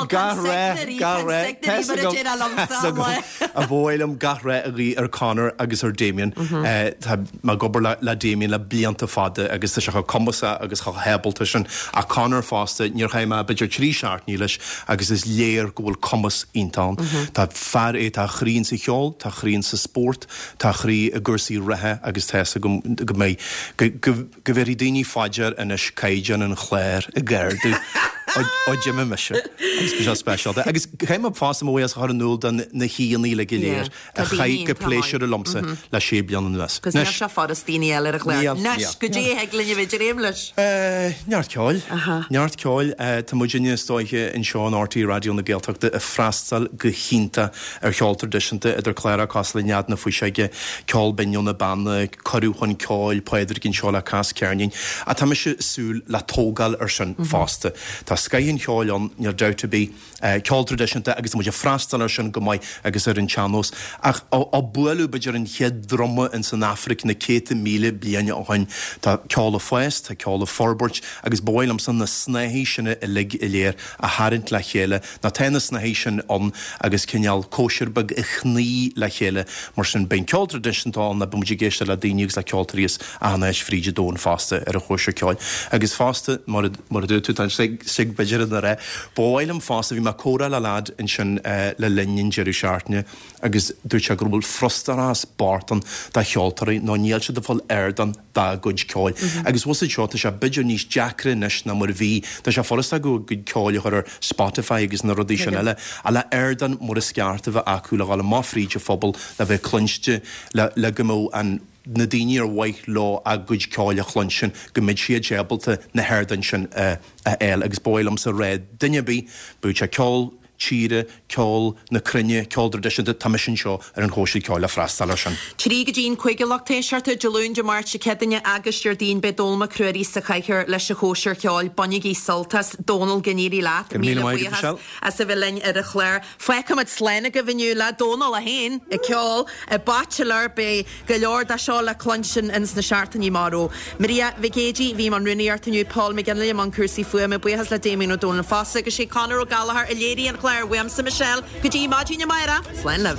gach rath gach rath tá 'fhios agam tá 'fhios agam ba mhaith liom gach rath a ghuí ar Conor agus ar Damien. Tá mé ag obair le Damien le blianta fada agus tá sé chomh cumasach agus chomh hábalta sin. Ach Conor fosta, níor chaith mé b'fhéidir 3 seachtainí leis agus is léir go bhfuil cumas iontach ann. Tá fear é, tá a chroí insa cheol, tá a chroí insa spórt, tá a chroí i gcúrsaí reatha agus tá 'fhios agam go mbeidh, go, go, go bhéarfaidh daoine fá dear anois caighdeán an chláir ag ardú ó d'imigh mise agus bhí sé speisialta. Agus caithfidh mé fosta mo bhuíochas a chur in iúl do na haíonna uilig go léir. Tá a daoine chaith go iontach maith. pléisiúrtha liomsa le sé bliana anuas. Cos níl sé furast daoine eile ar an chlár. Níl, Anois, níl. goidé a thig linn a bheith ag dréim leis? Neart ceoil. Neart ceoil. Tá muidinne is dóiche anseo in RTÉ Raidió na Gaeltachta ag freastal go hiontach ar cheol traidisiúnta, idir cláracha cosúil le Nead na Fuiseoige, Ceol Binn ó na Beanna, Cuireadh chun Ceoil, Pádraig anseo le Cas Ceirnín. Ach tá mise ag súil le tógáil ar sin fosta. Tá scoith an cheoil ann, níl dabht ar bith. ceol traidisiúnta agus tá muid ag freastal air sin go maith agus ar an tsean-nós. Ach ó buaileadh b'fhéidir an chéad druma ins an Afraic na céadta míle bliain ó shoin, tá ceol ag fás, tá ceol ag forbairt agus ba mhaith liomsa na snáithí sin uilig go léir a tharraingt le chéile, nó tá na snáithí sin ann agus cineál cóisir beag a shnoí le chéile. Mar sin beidh an ceol traidisiúnta ann, beidh muid ag éisteacht le daoine agus le ceoltóirí as achan áit fríd an domhan fosta ar an chóisir ceoil. Agus fosta, mar a dúirt tú, tá an sig b'fhéidir ina rá, Ba mhaith liom fosta, bhí mé ag comhrá le leaid ansin le linn an deireadh seachtaine agus dúirt sé go bhfuil frustrachas bocht ann do cheoltóirí nó níl siad ag fáil ardán dá gcuid ceoil. Agus bhfuil 'fhios a'd seo, tá sé b'fhéidir níos deacra anois ná mar a bhí, tá sé furasta acu a gcuid ceoil a chur ar Spotify agus na rudaí sin eile, ach le ardán mar is ceart a bheith acu le dhul amach fríd an phobal, le bheith cluinste, le go mbeadh an. na daoine ar mhaith leo a gcuid ceoil a chluinstin, go mbeidh siad ábalta na hardáin sin a fháil. Agus ba mhaith liomsa rá duine ar bith, bíodh sé ceol tíre, ceol na cruinne, ceol traidisiúnta, tá mise anseo ar an chóisir ceoil le freastal air sin. 3 go dtí'n 5 a lucht éisteachta, Dé Luain, Dé Máirt, Dé Céadaoine agus Déardaoin, beidh Dónall Mac Ruairí sa chathaoir leis an chóisir cheoil. Bainigí sult as. Dónall, go n-éirí leat. Go raibh míle maith agat, Michelle. As a bheith linn ar an chlár. Fágfaimid slán agaibh inniu le Dónall é féin ag ceol i bPaitilr. Beidh go leor de seo le cluinstin ins na seachtainí amach romhainn. Maria Mhic Géidigh a bhí i mbun rúnaíochta inniu, Paul McGinley i mbun cúrsaí fuaime, buíochas le Damien Ó Dónaill fosta agus sé Conor Ó Gallchóir a léirigh an clár. Uaimse Michelle, go dtí maidin amárach, slán libh.